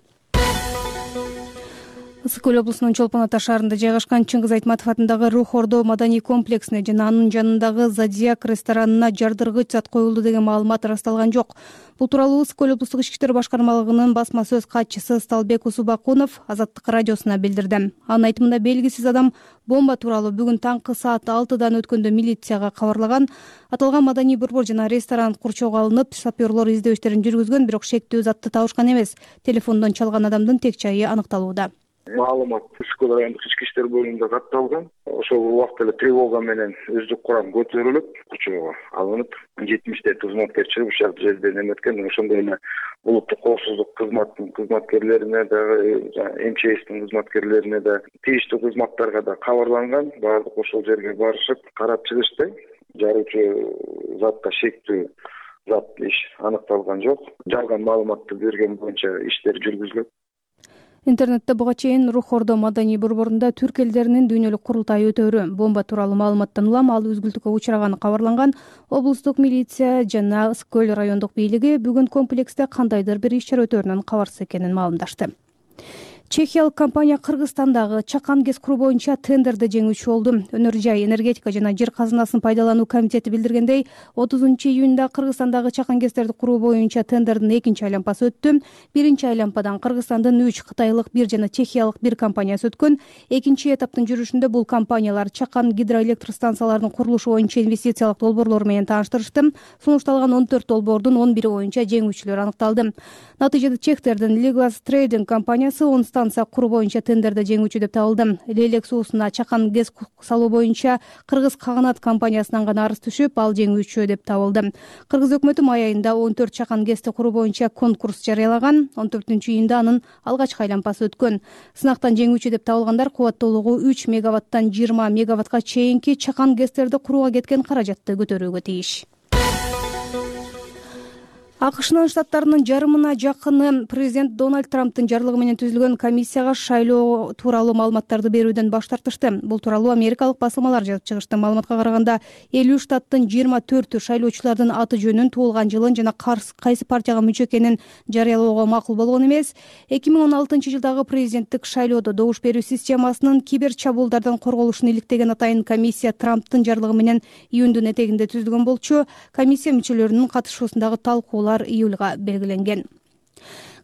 Ысык Көл облусунун Чолпон Ата шаарында жайгашкан Чыңгыз Айтматов атындагы Рух Ордо маданий комплексине жана анын жанындагы Зодиак ресторанына жардыргыч зат коюлду деген маалымат ырасталган жок. Бул тууралуу Ысык Көл облустук ички иштер башкармалыгынын басма сөз катчысы Сталбек Усубакунов Азаттык радиосуна билдирди. Анын айтымында белгисиз адам бомба тууралуу бүгүн таңкы саат 6-дан өткөндө милицияга кабарлаган. Аталган маданий борбор жана ресторан курчоого алынып, саперлор издөө иштерин жүргүзгөн, бирок шектүү затты табышкан эмес. Телефондон чалган адамдын тек жайы аныкталууда. Маалымат Ысык Көл райондук ички иштер бөлүмүндө катталган. Ошол убакта эле тревога менен өздүк курам көтөрүлүп, курчоого алынып, 70 кызматкер чыгып ушул жерде неметкен. Ошондой эле улуттук коопсуздук кызматтын кызматкерлерине дагы, МЧСтин кызматкерлерине да, тийиштүү кызматтарга да кабарланган. Баардык ошол жерге барышып, карап чыгышты. Жаруучу затта шектүү зат аныкталган жок. Жалган маалыматты берген боюнча иштер жүргүзүлөт. Интернетте буга чейин Рух Ордо маданий борборунда түрк элдеринин дүйнөлүк курултайы өтөөрү бомба тууралуу маалыматтан улам ал үзгүлтүккө учураганы кабарланган. Облустук милиция жана Ысык Көл райондук бийлиги бүгүн комплексте кандайдыр бир иш чара өтөөрүнөн кабарсыз экенин маалымдашты. Чехиялык компания Кыргызстандагы чакан гез куруу боюнча тендерди жеңүүчү болду. Өнөр жай энергетика жана жер казынасын пайдалануу комитети билдиргендей, 30-июнда Кыргызстандагы чакан кездерди куруу боюнча тендердин экинчи айланпасы өттү. Биринчи айланпадан Кыргызстандын 3, Кытайлык 1 жана Чехиялык 1 компаниясы өткөн. Экинчи этаптын жүрүшүндө бул компаниялар чакан гидроэлектр станцияларынын курулушу боюнча инвестициялык долбоорлору менен тааныштырышты. Сунушталган 14 долбоордун 11 боюнча жеңүүчүлөр аныкталды. Натыйжада чехтердин Legas Trading компаниясы 10 станция куруу боюнча тендерде жеңүүчү деп табылды. Лейлек суусуна чакан гез салуу боюнча Кыргыз Каганат компаниясынан гана арыз түшүп, ал жеңүүчү деп табылды. Кыргыз өкмөтү май айында 14 чакан кезди куруу боюнча конкурс жарыялаган. 14-июнда анын алгачкы айланпасы өткөн. Сынактан жеңүүчү деп табылгандар кубаттуулугу 3 мегаваттан 20 мегаваттка чейинки чакан кездерди курууга кеткен каражатты көтөрүүгө тийиш. АКШнын штаттарынын жарымына жакыны президент Дональд Трамптын жарлыгы менен түзүлгөн комиссияга шайлоо тууралуу маалыматтарды берүүдөн баш тартышты. Бул тууралуу америкалык басылмалар жазып чыгышты. Маалыматка караганда 50 штаттын 24 шайлоочулардын аты жөнүн, туулган жылын жана кайсы партияга мүчө экенин жарыялоого макул болгон эмес. 2016 жылдагы президенттик шайлоодо добуш берүү системасынын кибер чабуулдардан корголушун иликтеген атайын комиссия Трамптын жарлыгы менен июндун этегинде түзүлгөн болчу. Комиссия мүчөлөрүнүн катышуусундагы талкуулар июлга белгиленген.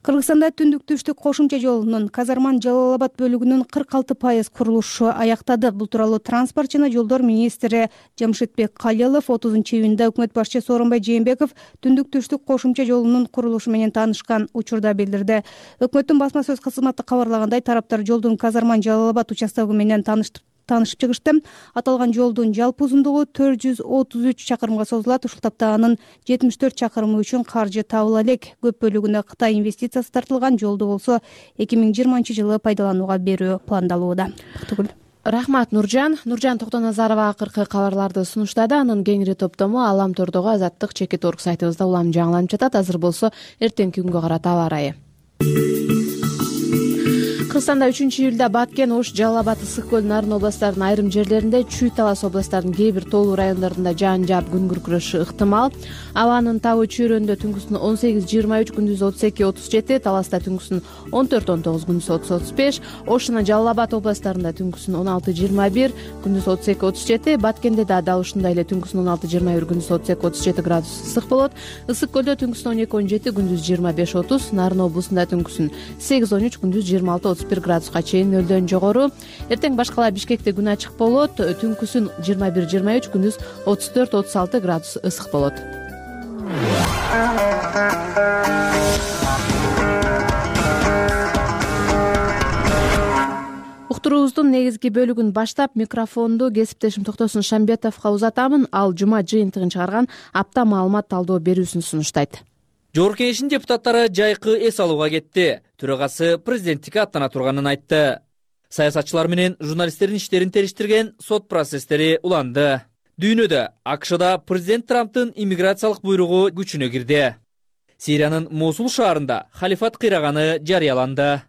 Кыргызстанда түндүк-түштүк кошумча жолунун Казарман-Жалал-Абад бөлүгүнүн 46% курулушу аяктады. Бул тууралуу транспорт жана жолдор министри Жамшитбек Калилов 30-июнда өкмөт башчысы Сооронбай Жээнбеков түндүк-түштүк кошумча жолунун курулушу менен таанышкан учурда билдирди. Өкмөттүн басма сөз кызматы кабарлагандай, тараптар жолдун Казарман-Жалал-Абад участогу менен таанышып чыгышты. Аталган жолдун жалпы узундугу 433 чакырымга созулат. Ушул тапта анын 74 чакырымы үчүн каржы табыла элек. Көп бөлүгүнө Кытай инвестициясы тартылган. Жолду болсо 2020-жылы пайдаланууга берүү пландалууда. Рахмат, Нуржан. Нуржан Токтоназарова акыркы кабарларды сунуштады. Анын кеңири топтому Алам Тордогу Азаттык чекит орг сайтыбызда улам жаңыланып жатат. Азыр болсо эртеңки күнгө карата аба ырайы. Кыргызстанда 3-июлда Баткен, Ош, Жалал Абад, Ысык көл, Нарын областтарынын айрым жерлеринде, Чүй, Талас областтарынын кээ бир тоолуу райондорунда жаан жаап күн күркүрөшү ыктымал. Абанын табы Чүйрөндө түнкүсүн 18-23, күндүз 32-37, Таласта түнкүсүн 14-19, күндүз 30-35, Ош жана Жалал Абад областтарында түнкүсүн 16-21, күндүз 32-37, Баткенде да дал ушундай эле түнкүсүн 16-21, күндүз 32-37 градус ысык болот. Ысык көлдө түнкүсүн 12-17, күндүз 25-30, Нарын облусунда түнкүсүн 8-13, күндүз 26-31 градуска чейин нөлдөн жогору. Эртең башкала Бишкекте күн ачык болот. Түнкүсүн 21-23, күндүз 34-36 градус ысык болот. Уктуруубуздун негизги бөлүгүн баштап микрофонду кесиптешим Токтосун Шамбетовго узатамын. Ал жума жыйынтыгын чыгарган апта маалымат талдоо берүүсүн сунуштайт. Жогорку Кеңештин депутаттары жайкы эс алууга кетти. Төрагасы президенттикке аттана турганын айтты. Саясатчылар менен журналисттердин иштерин териштирген сот процесстери уланды. Дүйнөдө АКШда президент Трамптын иммиграциялык буйругу күчүнө кирди. Сириянын Мосул шаарында халифат кыйраганы жарыяланды.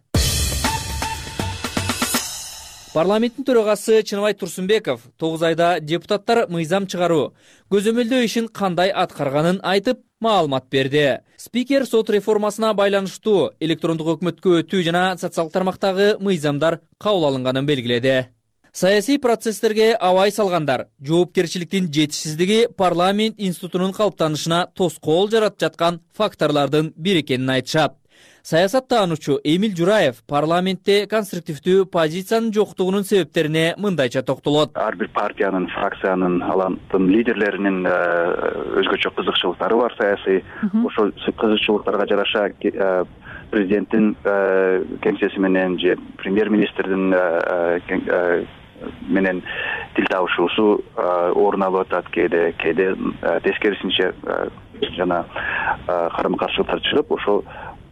Парламенттин төрагасы Чыныбай Турсунбеков 9 айда депутаттар мыйзам чыгаруу, көзөмөлдөө ишин кандай аткарганын айтып, маалымат берди. Спикер сот реформасына байланыштуу электрондук өкмөткө өтүү жана социалдык тармактагы мыйзамдар кабыл алынганын белгиледи. Саясий процесстерге абай салгандар жоопкерчиликтин жетишсиздиги парламент институтунун калыптанышына тоскоол жаратып жаткан факторлордун бири экенин айтышат. Саясаттануучу Эмиль Жураев парламентте конструктивдүү позициянын жоктугунун себептерине мындайча токтолот. Ар бир партиянын, фракциянын, алардын лидерлеринин өзгөчө кызыкчылыктары бар саясий. Ошол кызыкчылыктарга жараша президенттин кеңсеси менен же премьер-министрдин менен тил табышуусу орун алып атат. Кээде тескерисинче жана карама-каршылыктар чыгып, ошол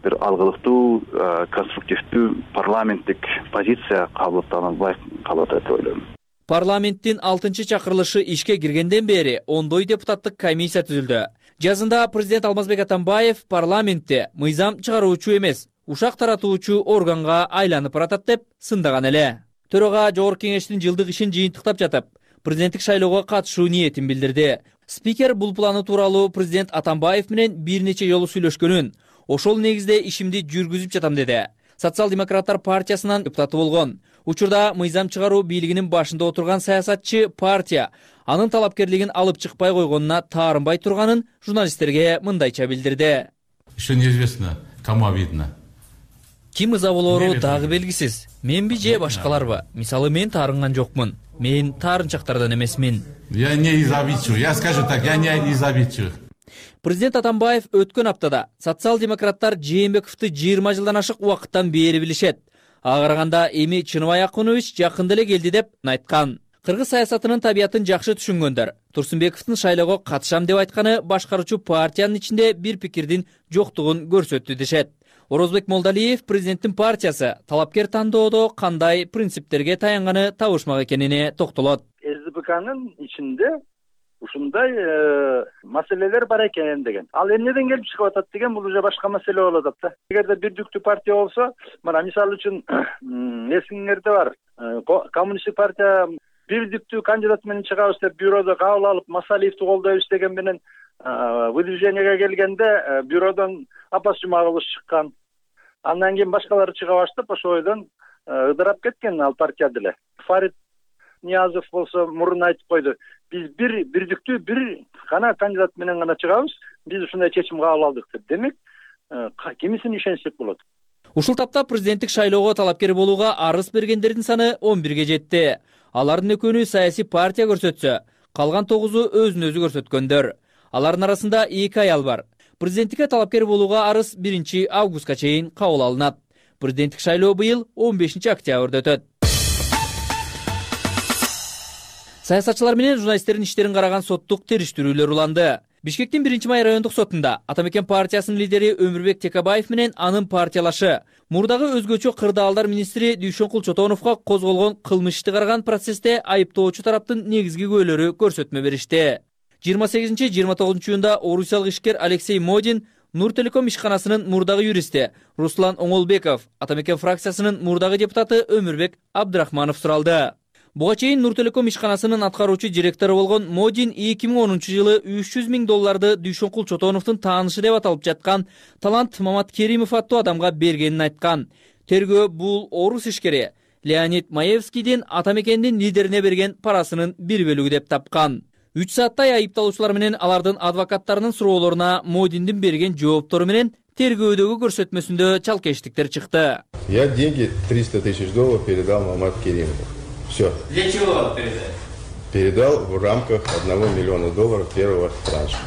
бир алгылыктуу, конструктивдүү парламенттик позиция кабылданбай калат деп ойлойм. Парламенттин 6-чакырылышы ишке киргенден бери ондой депутаттык комиссия түзүлдү. Жазында президент Алмазбек Атамбаев парламентте мыйзам чыгаруучу эмес, ушак таратуучу органга айланып баратат деп сындаган эле. Төрага Жогорку Кеңештин жылдык ишин жыйынтыктап жатып, президенттик шайлоого катышуу ниетин билдирди. Спикер бул планы тууралуу президент Атамбаев менен бир нече жолу сүйлөшкөнүн, ошол негизде ишимди жүргүзүп жатам деди. Социал-демократтар партиясынын депутаты болгон. Учурда мыйзам чыгаруу бийлигинин башында отурган саясатчы партия анын талапкерлигин алып чыкпай койгонуна таарынбай турганын журналисттерге мындайча билдирди. Еще неизвестно, кому обидно. Ким ыза болору дагы белгисиз. Менби же башкаларбы? Мисалы мен таарынган жокмун. Мен таарынчактардан эмесмин. Я не из обидчивых. Я скажу так, я не из обидчивых. Президент Атамбаев өткөн аптада социал-демократтар Жээнбековду 20 жылдан ашык убакыттан бери билишет. Ага караганда эми Чыныбай Акунович жакында эле келди деп айткан. Кыргыз саясатынын табиятын жакшы түшүнгөндөр Турсунбековдун шайлоого катышам деп айтканы башкаруучу партиянын ичинде бир пикирдин жоктугун көрсөттү дешет. Орозбек Молдалиев президенттин партиясы талапкер тандоодо кандай принциптерге таянганы табышмак экенине токтолот. СДПКнын ичинде ушундай маселелер бар экен деген. Ал эмнеден келип чыгып атат деген бул уже башка маселе болуп атат да. Эгерде бирдиктүү партия болсо, мына мисалы үчүн эсиңерде бар. Коммунисттик партия бирдиктүү кандидат менен чыгабыз деп бюродо кабыл алып, Масалиевди колдойбуз деген менен выдвижениеге келгенде бюродон Апас Жумагулович чыккан. Андан кийин башкалары чыга баштап, ошол ойдон ыдырап кеткен ал партия деле. Фарид Ниязов болсо мурун айтып койду. Биз бирдиктүү бир гана кандидат менен гана чыгабыз. Биз ушундай чечим кабыл алдык деп. Демек, кимисин ишенсек болот. Ушул тапта президенттик шайлоого талапкер болууга арыз бергендердин саны 11ге жетти. Алардын экөөнү саясий партия көрсөтсө, калган 9-у өзүн өзү көрсөткөндөр. Алардын арасында 2 аял бар. Президенттикке талапкер болууга арыз 1 августка чейин кабыл алынат. Президенттик шайлоо быйыл 15 октябрда өтөт. Саясатчылар менен журналисттердин иштерин караган соттук териштирүүлөр уланды. Бишкектин 1-май райондук сотунда Атамекен партиясынын лидери Өмүрбек Текебаев менен анын партиялашы мурдагы өзгөчө кырдаалдар министри Дүйшөнкул Чотоновго козголгон кылмыш ишти караган процессте айыптоочу тараптын негизги күбөлөрү көрсөтмө беришти. 28-29 июнда орусиялык ишкер Алексей Модин Нуртелеком ишканасынын мурдагы юристи Руслан Оңолбеков, Атамекен фракциясынын мурдагы депутаты Өмүрбек Абдрахманов суралды. Буга чейин Нуртелеком ишканасынын аткаруучу директору болгон Модин 2010-жылы $300,000 Дүйшөнкул Чотоновдун таанышы деп аталып жаткан Талант Маматкеримов аттуу адамга бергенин айткан. Тергөө бул орус ишкери Леонид Маевскийдин Атамекендин лидерине берген парасынын бир бөлүгү деп тапкан. 3 сааттай айыпталуучулар менен алардын адвокаттарынын суроолоруна Модиндин берген жооптору менен тергөөдөгү көрсөтмөсүндө чалкештиктер чыкты. Я деньги $300,000 передал Маматкеримову. Все. Для чего он передал? Передал в рамках $1 миллиона первого транша.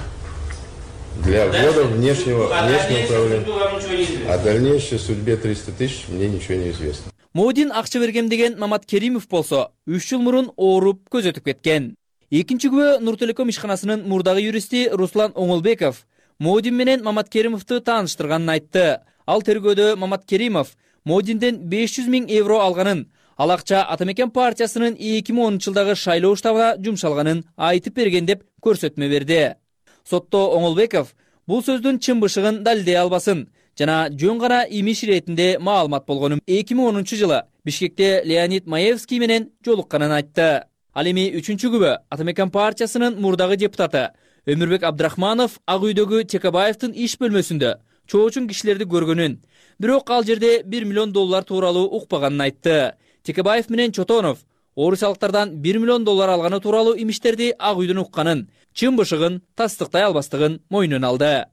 Для ввода внешнего управления. О дальнейшей судьбе 300 тысяч мне ничего не известно. Модин акча бергем деген Маматкеримов болсо 3 жыл мурун ооруп көзөтүп кеткен. Экинчи күбө Нуртелеком ишканасынын мурдагы юристи Руслан Оңолбеков Модин менен Маматкеримовду тааныштырганын айтты. Ал тергөөдө Маматкеримов Модинден €500,000 алганын, ал акча Атамекен партиясынын 2010-жылдагы шайлоо штабына жумшалганын айтып берген деп көрсөтмө берди. Сотто Оңолбеков бул сөздүн чын бышыгын далилдей албасын жана жөн гана имиш иретинде маалымат болгонун 2010-жылы Бишкекте Леонид Маевский менен жолукканын айтты. Ал эми 3-чү күбө Атамекен партиясынын мурдагы депутаты Өмүрбек Абдрахманов Ак үйдөгү Текебаевдин иш бөлмөсүндө чоочун кишилерди көргөнүн, бирок ал жерде $1 миллион тууралуу укпаганын айтты. Текебаев менен Чотонов орусиялыктардан $1 миллион алганы тууралуу имиштерди Ак үйдөн укканын, чын бышыгын тастыктай албастыгын мойнуна алды.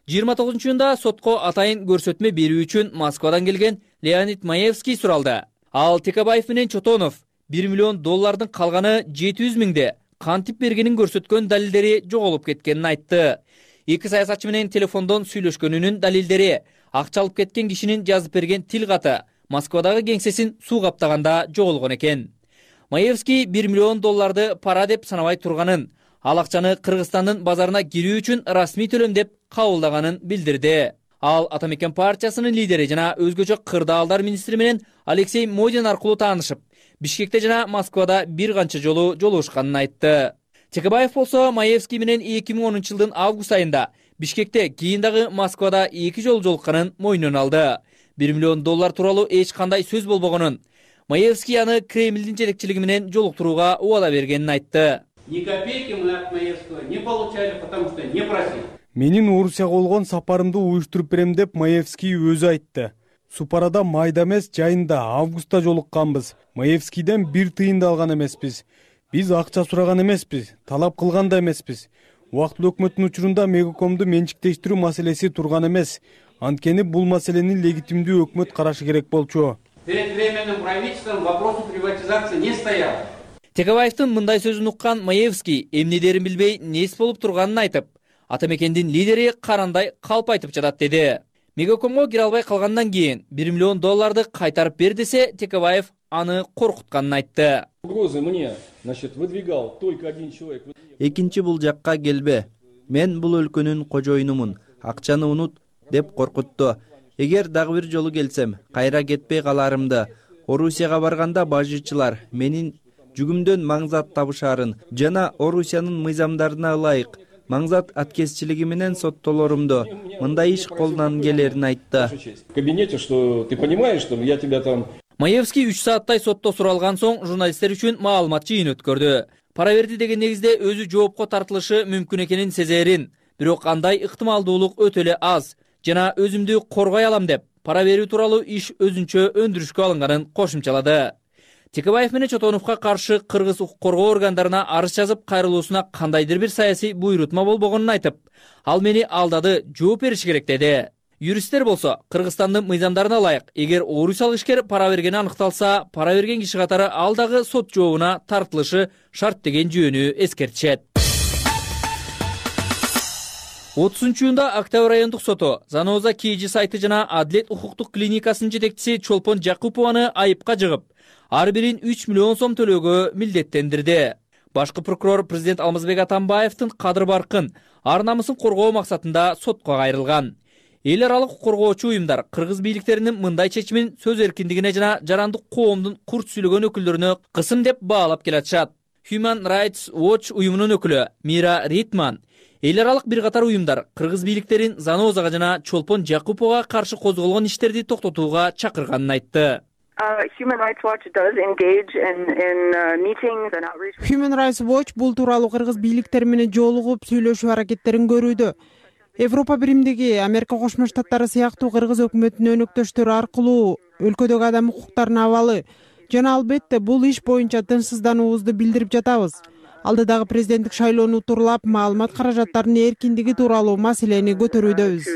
29-июнда сотко атайын көрсөтмө берүү үчүн Москвадан келген Леонид Маевский суралды. Ал Текебаев менен Чотонов $1 миллион калганы 700,000 кантип бергенин көрсөткөн далилдери жоголуп кеткенин айтты. Эки саясатчы менен телефондон сүйлөшкөнүнүн далилдери, акча алып кеткен кишинин жазып берген тил каты Москвадагы кеңсесин суу каптаганда жоголгон экен. Маевский $1 миллион пара деп санабай турганын, ал акчаны Кыргызстандын базарына кирүү үчүн расмий төлөм деп кабылдаганын билдирди. Ал Атамекен партиясынын лидери жана өзгөчө кырдаалдар министри менен Алексей Модин аркылуу таанышып, Бишкекте жана Москвада бир канча жолу жолугушканын айтты. Текебаев болсо Маевский менен 2010-жылдын август айында Бишкекте, кийин дагы Москвада 2 жолу жолукканын мойнуна алды. $1 миллион тууралуу эч кандай сөз болбогонун, Маевский аны Кремлдин жетекчилиги менен жолуктурууга убада бергенин айтты. Ни копейки мы от Маевского не получали, потому что не просили. Менин Орусияга болгон сапарымды уюштуруп берем деп Маевский өзү айтты. Супарада майда эмес, жайында августта жолукканбыз. Маевскийден 1 тыйын да алган эмеспиз. Биз акча сураган эмеспиз, талап кылган да эмеспиз. Убактылуу өкмөттүн учурунда Мегакомду менчиктештирүү маселеси турган эмес. Анткени бул маселени легитимдүү өкмөт карашы керек болчу. Перед временным правительством вопрос приватизации не стоял. Текебаевдин мындай сөзүн уккан Маевский эмнедерин билбей нес болуп турганын айтып, ата мекендин лидери карандай калп айтып жатат деди. Мегакомго кире албай калгандан кийин $1 миллион кайтарып бер десе, Текебаев аны коркутканын айтты. Угрозы мне, значит, выдвигал только один человек. Экинчи бул жакка келбе. Мен бул өлкөнүн кожоюнумун. Акчаны унут деп коркутту. Эгер дагы бир жолу келсем, кайра кетпей каларымды. Орусияга барганда бажычылар менин жүгүмдөн маңзат табышарын жана Орусиянын мыйзамдарына ылайык маңзат аткезчилиги менен соттолорумду мындай иш колунан келерин айтты. В кабинете, что ты понимаешь, что я тебя там... Маевский 3 сааттай сотто суралган соң журналисттер үчүн маалымат жыйын өткөрдү. Пара берди деген негизде өзү жоопко тартылышы мүмкүн экенин сезерин, бирок андай ыктымалдуулук өтө эле аз жана өзүмдү коргой алам деп пара берүү тууралуу иш өзүнчө өндүрүшкө алынганын кошумчалады. Текебаев менен Чотоновго каршы кыргыз укук коргоо органдарына арыз жазып, кайрылуусуна кандайдыр бир саясий буйрутма болбогонун айтып, ал мени алдады, жооп бериш керек деди. Юристтер болсо, Кыргызстандын мыйзамдарына ылайык, эгер орусиялык ишкер пара бергени аныкталса, пара берген киши катары ал дагы сот жообуна тартылышы шарт деген жөнү эскертишет. 30-июнда Октябрь райондук соту Заноза KG сайты жана Адилет укуктук клиникасынын жетекчиси Чолпон Жакупованы айыпка жыгып, ар бирин 3 миллион сом төлөөгө милдеттендирди. Башкы прокурор президент Алмазбек Атамбаевдин кадыр баркын, ар намысын коргоо максатында сотко кайрылган. Эл аралык коргоочу уюмдар кыргыз бийликтеринин мындай чечимин сөз эркиндигине жана жарандык коомдун курт сүйлөгөн өкүлдөрүнө кысым деп баалап келатышат. Human Rights Watch уюмунун өкүлү Мира Ритман эл аралык бир катар уюмдар кыргыз бийликтерин Занозага жана Чолпон Жакуповго каршы козголгон иштерди токтотууга чакырганын айтты. Human Rights Watch does engage in meetings and outreach. Human Rights Watch бул тууралуу кыргыз бийликтери менен жолугуп сүйлөшүү аракеттерин көрүүдө. Европа биримдиги, Америка Кошмо Штаттары сыяктуу кыргыз өкмөтүнүн өнөктөштөрү аркылуу өлкөдөгү адам укуктарына абалы жана албетте бул иш боюнча тынчсыздануубузду билдирип жатабыз. Алдыдагы президенттик шайлоону тууралап маалымат каражаттарынын эркиндиги тууралуу маселени көтөрүүдөбүз.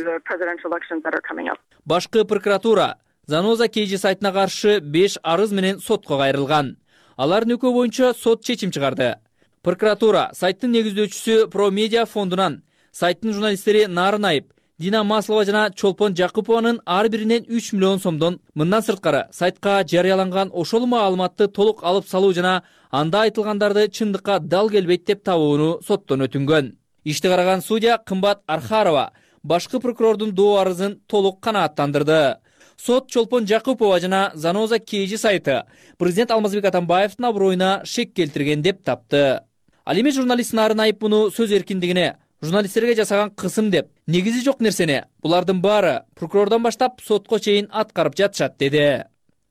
Башкы прокуратура Заноза KG сайтына каршы 5 арыз менен сотко кайрылган. Алардын экөө боюнча сот чечим чыгарды. Прокуратура сайттын негиздөөчүсү ProMedia фондунан сайттын журналисттери Нарын Айып, Дина Маслова жана Чолпон Жакупованын ар биринен 3 миллион сомдон, мындан сырткары сайтка жарыяланган ошол маалыматты толук алып салуу жана анда айтылгандарды чындыкка дал келбейт деп табууну соттон өтүнгөн. Ишти караган судья Кымбат Архарова башкы прокурордун доо арызын толук канааттандырды. Сот Чолпон Жакупова жана Заноза KG сайты президент Алмазбек Атамбаевдин аброюна шек келтирген деп тапты. Ал эми журналист Нарын Айып муну сөз эркиндигине, журналисттерге жасаган кысым деп, негизи жок нерсени булардын баары прокурордон баштап сотко чейин аткарып жатышат деди.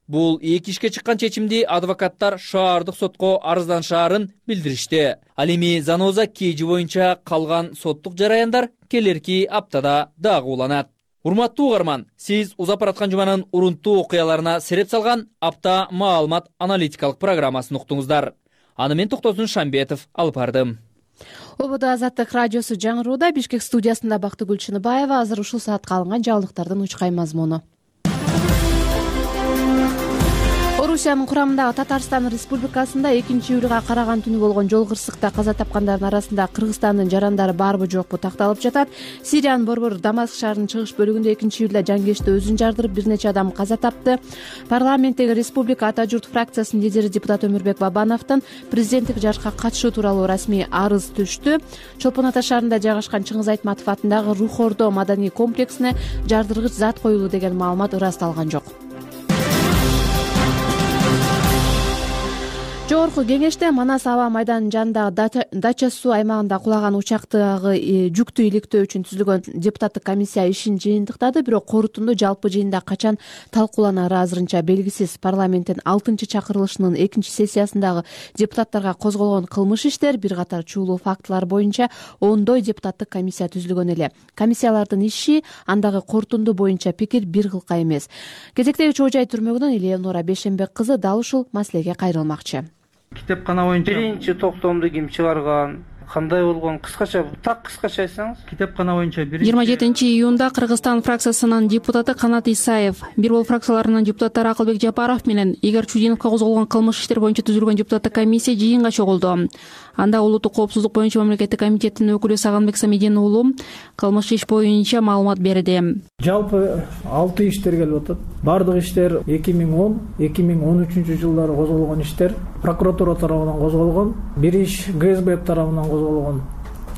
Бул эки ишке чыккан чечимди адвокаттар шаардык сотко арызданышаарын билдиришти. Ал эми Заноза KG боюнча калган соттук жараяндар келерки аптада дагы уланат. Урматтуу угарман, сиз узап бараткан жуманын урунттуу окуяларына сереп салган апта маалымат аналитикалык программасын уктуңуздар. Аны мен Токтосун Шамбетов алып бардым. ОБД Азаттык радиосу жаңырууда. Бишкек студиясында Бактыгүл Чыныбаева. Азыр ушул саатка алынган жаңылыктардын учкай мазмуну. Орусиянын курамындагы Татарстан Республикасында 2-июлга караган түнү болгон жол кырсыкта каза тапкандардын арасында Кыргызстандын жарандары барбы жокпу такталып жатат. Сириянын борбор Дамаск шаарынын чыгыш бөлүгүндө 2-июлда жангечте өзүн жардырып, бир нече адам каза тапты. Парламенттеги Республика Ата журт фракциясынын лидери депутат Өмүрбек Бабановдон президенттик жарышка катышуу тууралуу расмий арыз түштү. Чолпон Ата шаарында жайгашкан Чыңгыз Айтматов атындагы Рух Ордо маданий комплексине жардыргыч зат коюлуу деген маалымат ырасталган жок. Жогорку кеңеште Манас аба майданынын жанындагы дача суу аймагында кулаган учактагы жүктү иликтөө үчүн түзүлгөн депутаттык комиссия ишин жыйынтыктады. Бирок корутунду жалпы жыйында качан талкууланары азырынча белгисиз. Парламенттин 6-чакырылышынын 2-сессиясындагы депутаттарга козголгон кылмыш иштер, бир катар чуулуу фактылар боюнча ондой депутаттык комиссия түзүлгөн эле. Комиссиялардын иши андагы корутунду боюнча пикир бир кылка эмес. Кезектеги Чоо Жай түрмөгүнөн Элеонора Бешенбек кызы дал ушул маселеге кайрылмакчы. Китепкана боюнча биринчи токтомду ким чыгарган, кандай болгон, кыскача айтсаңыз. Китепкана боюнча 27-июнда Кыргызстан фракциясынын депутаты Канат Исаев, бир бол фракцияларынын депутаттары Акылбек Жапаров менен Игорь Чудиновго козголгон кылмыш иштер боюнча түзүлгөн депутаттык комиссия жыйынга чогулду. Анда улуттук коопсуздук боюнча мамлекеттик комитеттин өкүлү Сагынбек Самидин уулу кылмыш иш боюнча маалымат берди. Жалпы 6 иштер келип атат. Бардык иштер 2010-2013 жылдары козголгон иштер прокуратура тарабынан козголгон, бир иш ГСБ тарабынан козголгон.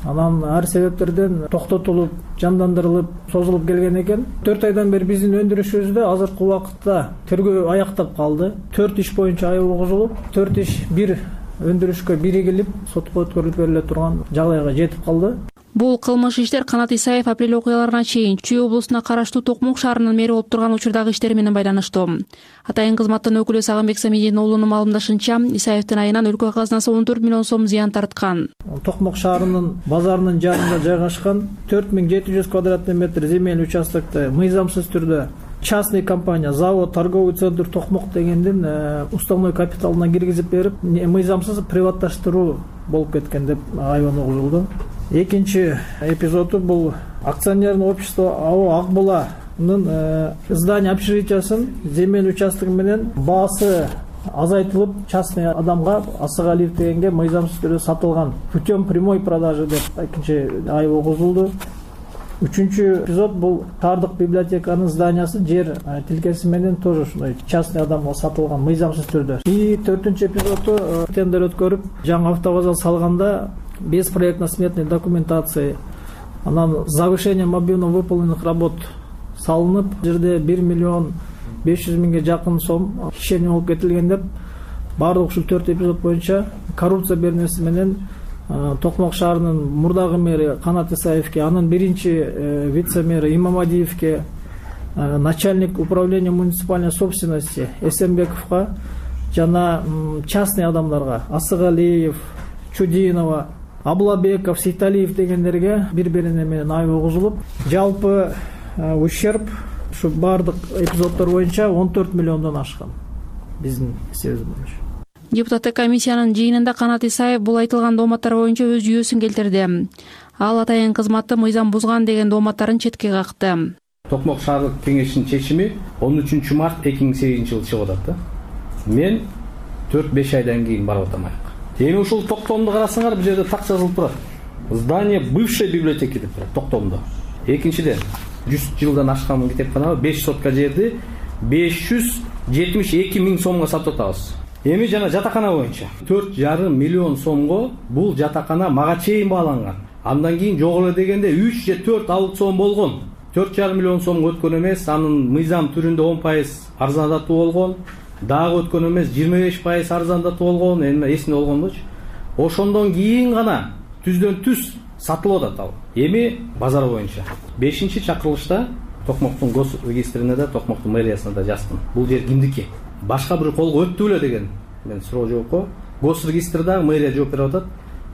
Анан ар себептерден токтотулуп, жандандырылып, созулуп келген экен. 4 айдан бери биздин өндүрүшүбүздө азыркы убакытта тергөө аяктап калды. 4 иш боюнча айып козулуп, 4 иш бир өндүрүшкө биригилип, сотко өткөрүлүп бериле турган жагдайга жетип калды. Бул кылмыш иштер Канат Исаев апрель окуяларына чейин Чүй облусуна караштуу Токмок шаарынын мэри болуп турган учурдагы иштери менен байланыштуу. Атайын кызматтын өкүлү Сагынбек Самидин уулунун маалымдашынча, Исаевдин айынан өлкө казынасы 14 миллион сом зыян тарткан. Токмок шаарынын базарынын жанында жайгашкан 4700 квадратный метр земель участокты мыйзамсыз түрдө частный компания, завод, торговый центр Токмок дегендин уставной капиталына киргизип берип, мыйзамсыз приватташтыруу болуп кеткен деп айыбын угулду. Экинчи эпизоду бул акционерный общество АО Акбуланын здание общежитиясын земель участогу менен баасы азайтылып, частный адамга Асыгалиев дегенге мыйзамсыз түрдө сатылган путем прямой продажи деп экинчи айып угулду. Үчүнчү эпизод бул шаардык библиотеканын зданиясы жер тилкеси менен тоже ушундай частный адамга сатылган мыйзамсыз түрдө. И төртүнчү эпизоду тендер өткөрүп, жаңы автобаза салганда без проектно-сметной документации, анан завышение мобильно выполненных работ салынып, жерде 1 миллион 500 миңге жакын сом кишени болуп кетилген деп, баардык ушул 4 эпизод боюнча коррупция беренеси менен Токмок шаарынын мурдагы мэри Канат Исаевке, анын биринчи вице-мэри Имамадиевке, начальник управления муниципальной собственности Эсенбековго жана частный адамдарга Асыгалиев, Чудинова, Аблабеков, Сейталиев дегендерге бири-бирине менен айып угузулуп, жалпы ущерб ушу бардык эпизоддор боюнча 14 миллиондон ашкан биздин эсебибиз боюнча. Депутаттык комиссиянын жыйынында Канат Исаев бул айтылган дооматтар боюнча өз жүйөсүн келтирди. Ал атайын кызматты мыйзам бузган деген дооматтарын четке какты. Токмок шаардык кеңешинин чечими 13 март 2008 жылы чыгып атат. Мен 4-5 айдан кийин барып атам аяка. Эми ушул токтомду карасаңар, бул жерде так жазылып турат. Здание бывшей библиотеки деп турат токтомдо. Экинчиден 100 жылдан ашкан китепкана 5 сотка жерди 572 миң сомго сатып атабыз. Эми жана жатакана боюнча 4,5 миллион сомго бул жатакана мага чейин бааланган. Андан кийин жок эле дегенде 3 же 4 аукцион болгон. 4,5 миллион сомго өткөн эмес, анын мыйзам түрүндө 10% арзандатуу болгон. Дагы өткөн эмес 25% арзандатуу болгон, эми эсинде болгонбучу. Ошондон кийин гана түздөн түз сатылып атат ал. Эми базар боюнча 5-чакырылышта Токмоктун гос регистрине да, Токмоктун мэриясына да жаздым. Бул жер кимдики? Башка бир колго өттү беле деген мен суроо жокко. Гос регистрда мэрия жооп берип атат.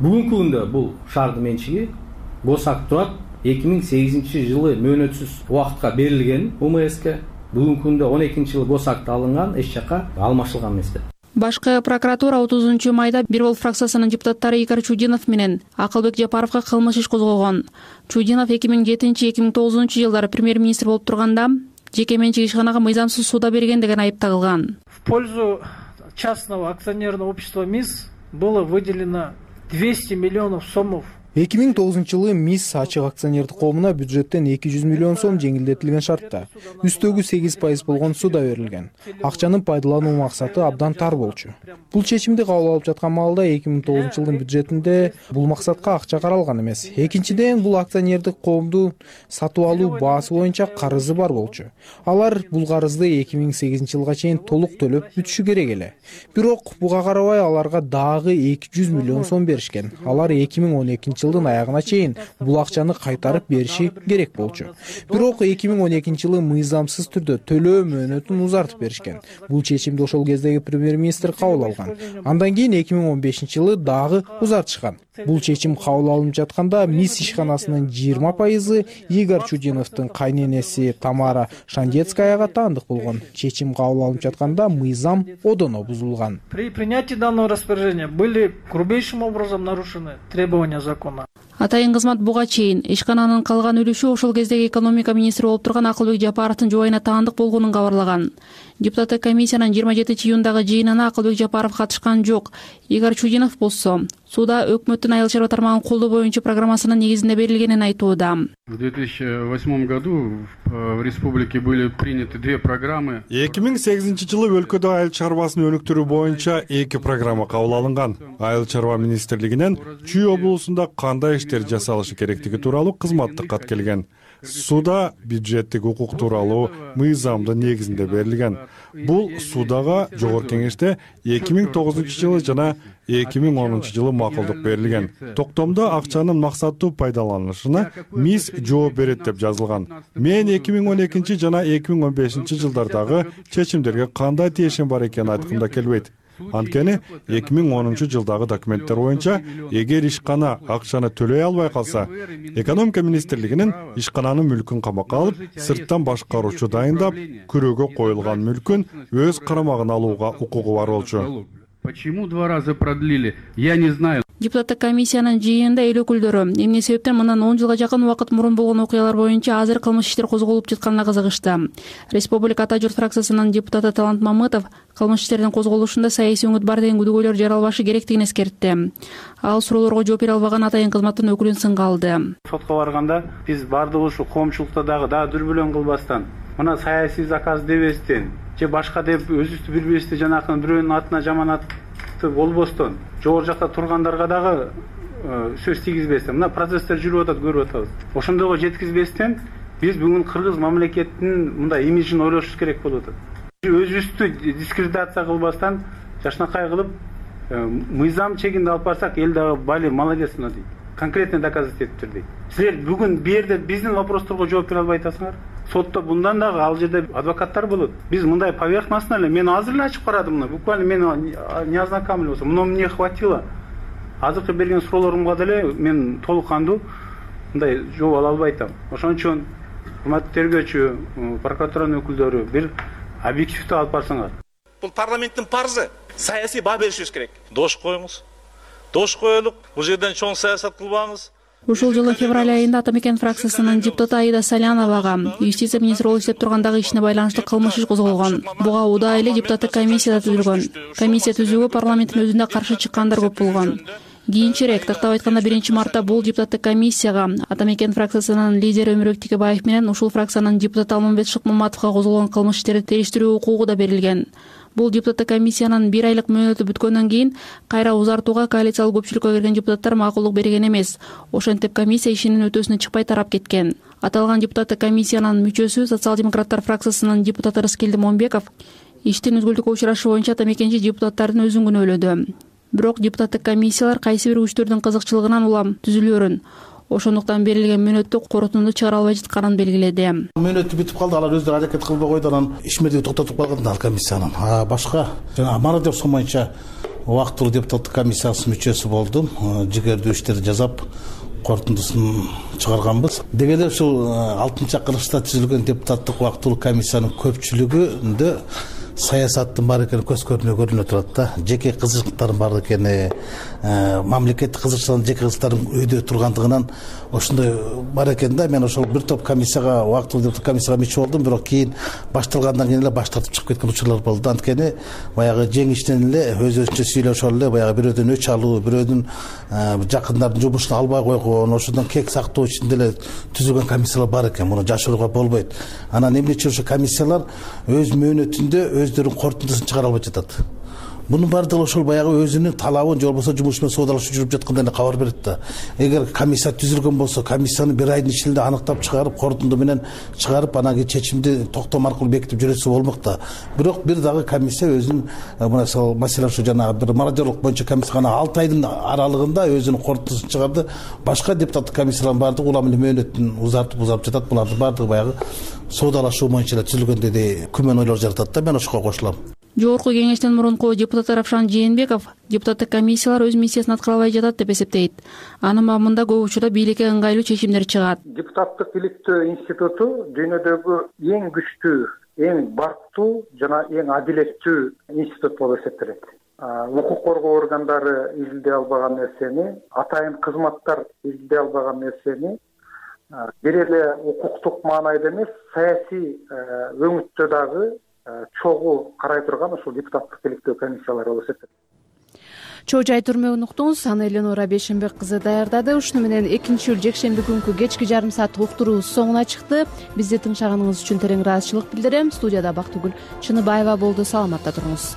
Бүгүнкү күндө бул шаардын менчиги гос акт турат 2008 жылы мөөнөтсүз убакытка берилген УМСке. Бүгүнкү күндө 12-жылы гос акт алынган, эч жака алмашылган эмес деп. Башкы прокуратура 30 майда бир бол фракциясынын депутаттары Игорь Чудинов менен Акылбек Жапаровго кылмыш иш козгогон. Чудинов 2007-2009 жылдары премьер-министр болуп турганда жеке менчик ишканага мыйзамсыз сууда берген деген айып тагылган. В пользу частного акционерного общества МИС было выделено 200 миллионов сомов 2009-жылы МИС ачык акционердик коомуна бюджеттен 200 миллион сом жеңилдетилген шартта үстөгү 8% болгон суда берилген. Акчанын пайдалануу максаты абдан тар болчу. Бул чечимди кабыл алып жаткан маалда 2009-жылдын бюджетинде бул максатка акча каралган эмес. Экинчиден, бул акционердик коомду сатып алуу баасы боюнча карызы бар болчу. Алар бул карызды 2008-жылга чейин толук төлөп бүтүшү керек эле. Бирок буга карабай аларга дагы 200 миллион сом беришкен. Алар 2012-жылдын аягына чейин бул акчаны кайтарып бериши керек болчу. Бирок 2012-жылы мыйзамсыз түрдө төлөө мөөнөтүн узартып беришкен. Бул чечимди ошол кездеги премьер-министр кабыл алган. Андан кийин 2015-жылы дагы узартышкан. Бул чечим кабыл алынып жатканда МИС ишканасынын 20% Игорь Чудиновдун кайненеси Тамара Шандецкаяга таандык болгон. Чечим кабыл алынып жатканда мыйзам одоно бузулган. При принятии данного распоряжения были грубейшим образом нарушены требования закона. Атайын кызмат буга чейин ишкананын калган үлүшү ошол кездеги экономика министри болуп турган Акылбек Жапаровдун жубайына таандык болгонун кабарлаган. Депутаттык комиссиянын 27-июндагы жыйынына Акылбек Жапаров катышкан жок. Игорь Чудинов болсо суда өкмөттүн айыл чарба тармагын колдоо боюнча программасынын негизинде берилгенин айтууда. В 2008 году в республике были приняты две программы. 2008-жылы өлкөдө айыл чарбасын өнүктүрүү боюнча 2 программа кабыл алынган. Айыл чарба министрлигинен Чүй облусунда кандай иштер жасалышы керектиги тууралуу кызматтык кат келген. Суда бюджеттик укук тууралуу мыйзамдын негизинде берилген. Бул судага жогорку кеңеште 2009-жылы жана 2010-жылы макулдук берилген. Токтомдо акчанын максаттуу пайдаланылышына МИС жооп берет деп жазылган. Мен 2012 жана 2015 жылдардагы чечимдерге кандай тиешим бар экенин айткымда келбейт. Анткени 2010 жылдагы документтер боюнча эгер ишкана акчаны төлөй албай калса, экономика министрлигинин ишкананын мүлкүн камакка алып, сырттан башкаруучу дайындап, күрөөгө коюлган мүлкүн өз карамагына алууга укугу бар болчу. Почему 2 раза продлили? Я не знаю. Депутаттык комиссиянын жыйынында эл өкүлдөрү эмне себептен мындан 10 жылга жакын убакыт мурун болгон окуялар боюнча азыр кылмыш иштер козголуп жатканына кызыгышты. Республика Ата журт фракциясынын депутаты Талант Мамытов кылмыш иштердин козголушунда саясий өңүт бар деген күдүгөйлөр жаралбашы керектигин эскертти. Ал суроолорго жооп бере албаган атайын кызматтын өкүлүн сынга алды. Сотко барганда биз бардыгы ушу коомчулукта дагы дүрбөлөң кылбастан, мына саясий заказ дебестен же башка деп өзүбүздү билбестен жанакынын бирөөнүн атына жаманатты болбостон жогору жакта тургандарга дагы сөз тийгизбестен мына процесстер жүрүп атат, көрүп атабыз. Ошондойго жеткизбестен биз бүгүн кыргыз мамлекетинин мындай имиджин ойлошубуз керек болуп атат. Өзүбүздү дискредитация кылбастан жашнакай кылып мыйзам чегинде алып барсак эл дагы бали молодец мына дейт. Конкретный доказать этиптир дейт. Силер бүгүн бу жерде биздин вопросторго жооп бере албай атасыңар. Сотто bundan дагы ал жерде адвокаттар болот. Биз мындай поверхностно эле мен азыр эле ачып карадым мына. Буквально мен не ознакомился, но мне хватило. Азыркы берген суроолорумга деле мен толук кандуу мындай жооп ала албай атам. Ошон үчүн урматтуу тергөөчү, прокуратуранын өкүлдөрү бир объективдүү алып барсаңар. Бул парламенттин парзы. Саясий баа беришибиз керек. Дош коюңуз. Дош коелук. Бул жерден чоң саясат кылбаңыз. Ушул жылы февраль айында Атамекен фракциясынын депутаты Аида Саляновага юстиция министри болуп иштеп тургандагы ишине байланыштуу кылмыш иш козголгон. Буга удаа эле депутаттык комиссия түзүлгөн. Комиссия түзүүгө парламенттин өзүндө каршы чыккандар көп болгон. Кийинчерээк, тактап айтканда 1-мартта бул депутаттык комиссияга Атамекен фракциясынын лидери Өмүрбек Текебаев менен ушул фракциянын депутаты Алмамбет Шыкмаматовго козголгон кылмыш иштерди териштирүү укугу да берилген. Бул депутаттык комиссиянын 1 айлык мөөнөтү бүткөндөн кийин кайра узартууга коалициялык көпчүлүккө кирген депутаттар макулдук берген эмес. Ошентип комиссия ишинин өтөөсүнө чыкпай тарап кеткен. Аталган депутаттык комиссиянын мүчөсү социал-демократтар фракциясынын депутаты Рыскелди Момбеков иштин үзгүлтүккө учурашы боюнча Атамекенчи депутаттардын өзүн күнөөлөдү. Бирок депутаттык комиссиялар кайсы бир күчтөрдүн кызыкчылыгынан улам түзүлөөрүн, ошондуктан берилген мөөнөттү корутунду чыгара албай жатканын белгиледи. Мөөнөтү бүтүп калды, алар өздөрү аракет кылбай койду, анан ишмердиги токтотуп калган ал комиссиянын. Башка жана Мародев Сомоюнча убактылуу депутаттык комиссиясынын мүчөсү болдум. Жигердүү иштерди жасап, корутундусун чыгарганбыз. Деги эле ушул 6-чакырылышта түзүлгөн депутаттык убактылуу комиссиянын көпчүлүгүндө саясаттын бар экени көз көрүнүп турат да. Жеке кызыкчылыктардын бар экени, мамлекеттик кызыкчылыктардын жеке кызыкчылыктардын өйдө тургандыгынан ошондой бар экен да. Мен ошол бир топ комиссияга, убактылуу комиссияга мүчө болдум, бирок кийин башталгандан кийин эле баш тартып чыгып кеткен учурлар болду. Анткени баягы жеңиштен эле өзүнчө сүйлөшүп эле баягы бирөөдөн өч алуу, бирөөдүн жакындардын жумушуна албай койгон, ошондон кек сактоо ичинде эле түзүлгөн комиссиялар бар экен. Муну жашырууга болбойт. Анан эмне үчүн ошо комиссиялар өз мөөнөтүндө өздөрүнүн корутундусун чыгара албай жатат. Мунун баардыгы ошол баягы өзүнүн талабын же болбосо жумуш менен соодалашуу жүрүп жаткандай эле кабар берет да. Эгер комиссия түзүлгөн болсо, комиссияны бир айдын ичинде аныктап чыгарып, корутунду менен чыгарып, анан кийин чечимди токтом аркылуу бекитип жүрөтсө болмок да. Бирок бир дагы комиссия өзүнүн мына маселе ушу жанагы бир мародерлук боюнча комиссия 6 айдын аралыгында өзүнүн корутундусун чыгарды. Башка депутаттык комиссиялардын баардыгы улам мөөнөтүн узартып жатат. Булардын баардыгы баягы соодалашуу боюнча эле түзүлгөн деди күмөн ойлор жаратат да. Мен ошого кошулам. Жогорку кеңештин мурунку депутаты Равшан Жээнбеков депутаттык комиссиялар өз миссиясын аткара албай жатат деп эсептейт. Анын мамында көп учурда бийликке ыңгайлуу чечимдер чыгат. Депутаттык иликтөө институту дүйнөдөгү эң күчтүү, эң барктуу жана эң адилеттүү институт болуп эсептелет. Укук коргоо органдары изилдей албаган нерсени, атайын кызматтар изилдей албаган нерсени бир эле укуктук маанайда эмес, саясий өңүттө дагы чогуу карай турган ушул депутаттык иликтөө комиссиялары болуп эсептелет. Чоо жай түрмөгүн уктуңуз. Аны Эленора Бейшенбек кызы даярдады. Ушуну менен 2-июль жекшемби күнкү кечки жарым сааттык уктуруубуз соңуна чыкты. Бизди тыңшаганыңыз үчүн терең ыраазычылык билдирем. Студияда Бактыгүл Чыныбаева болду. Саламатта туруңуз.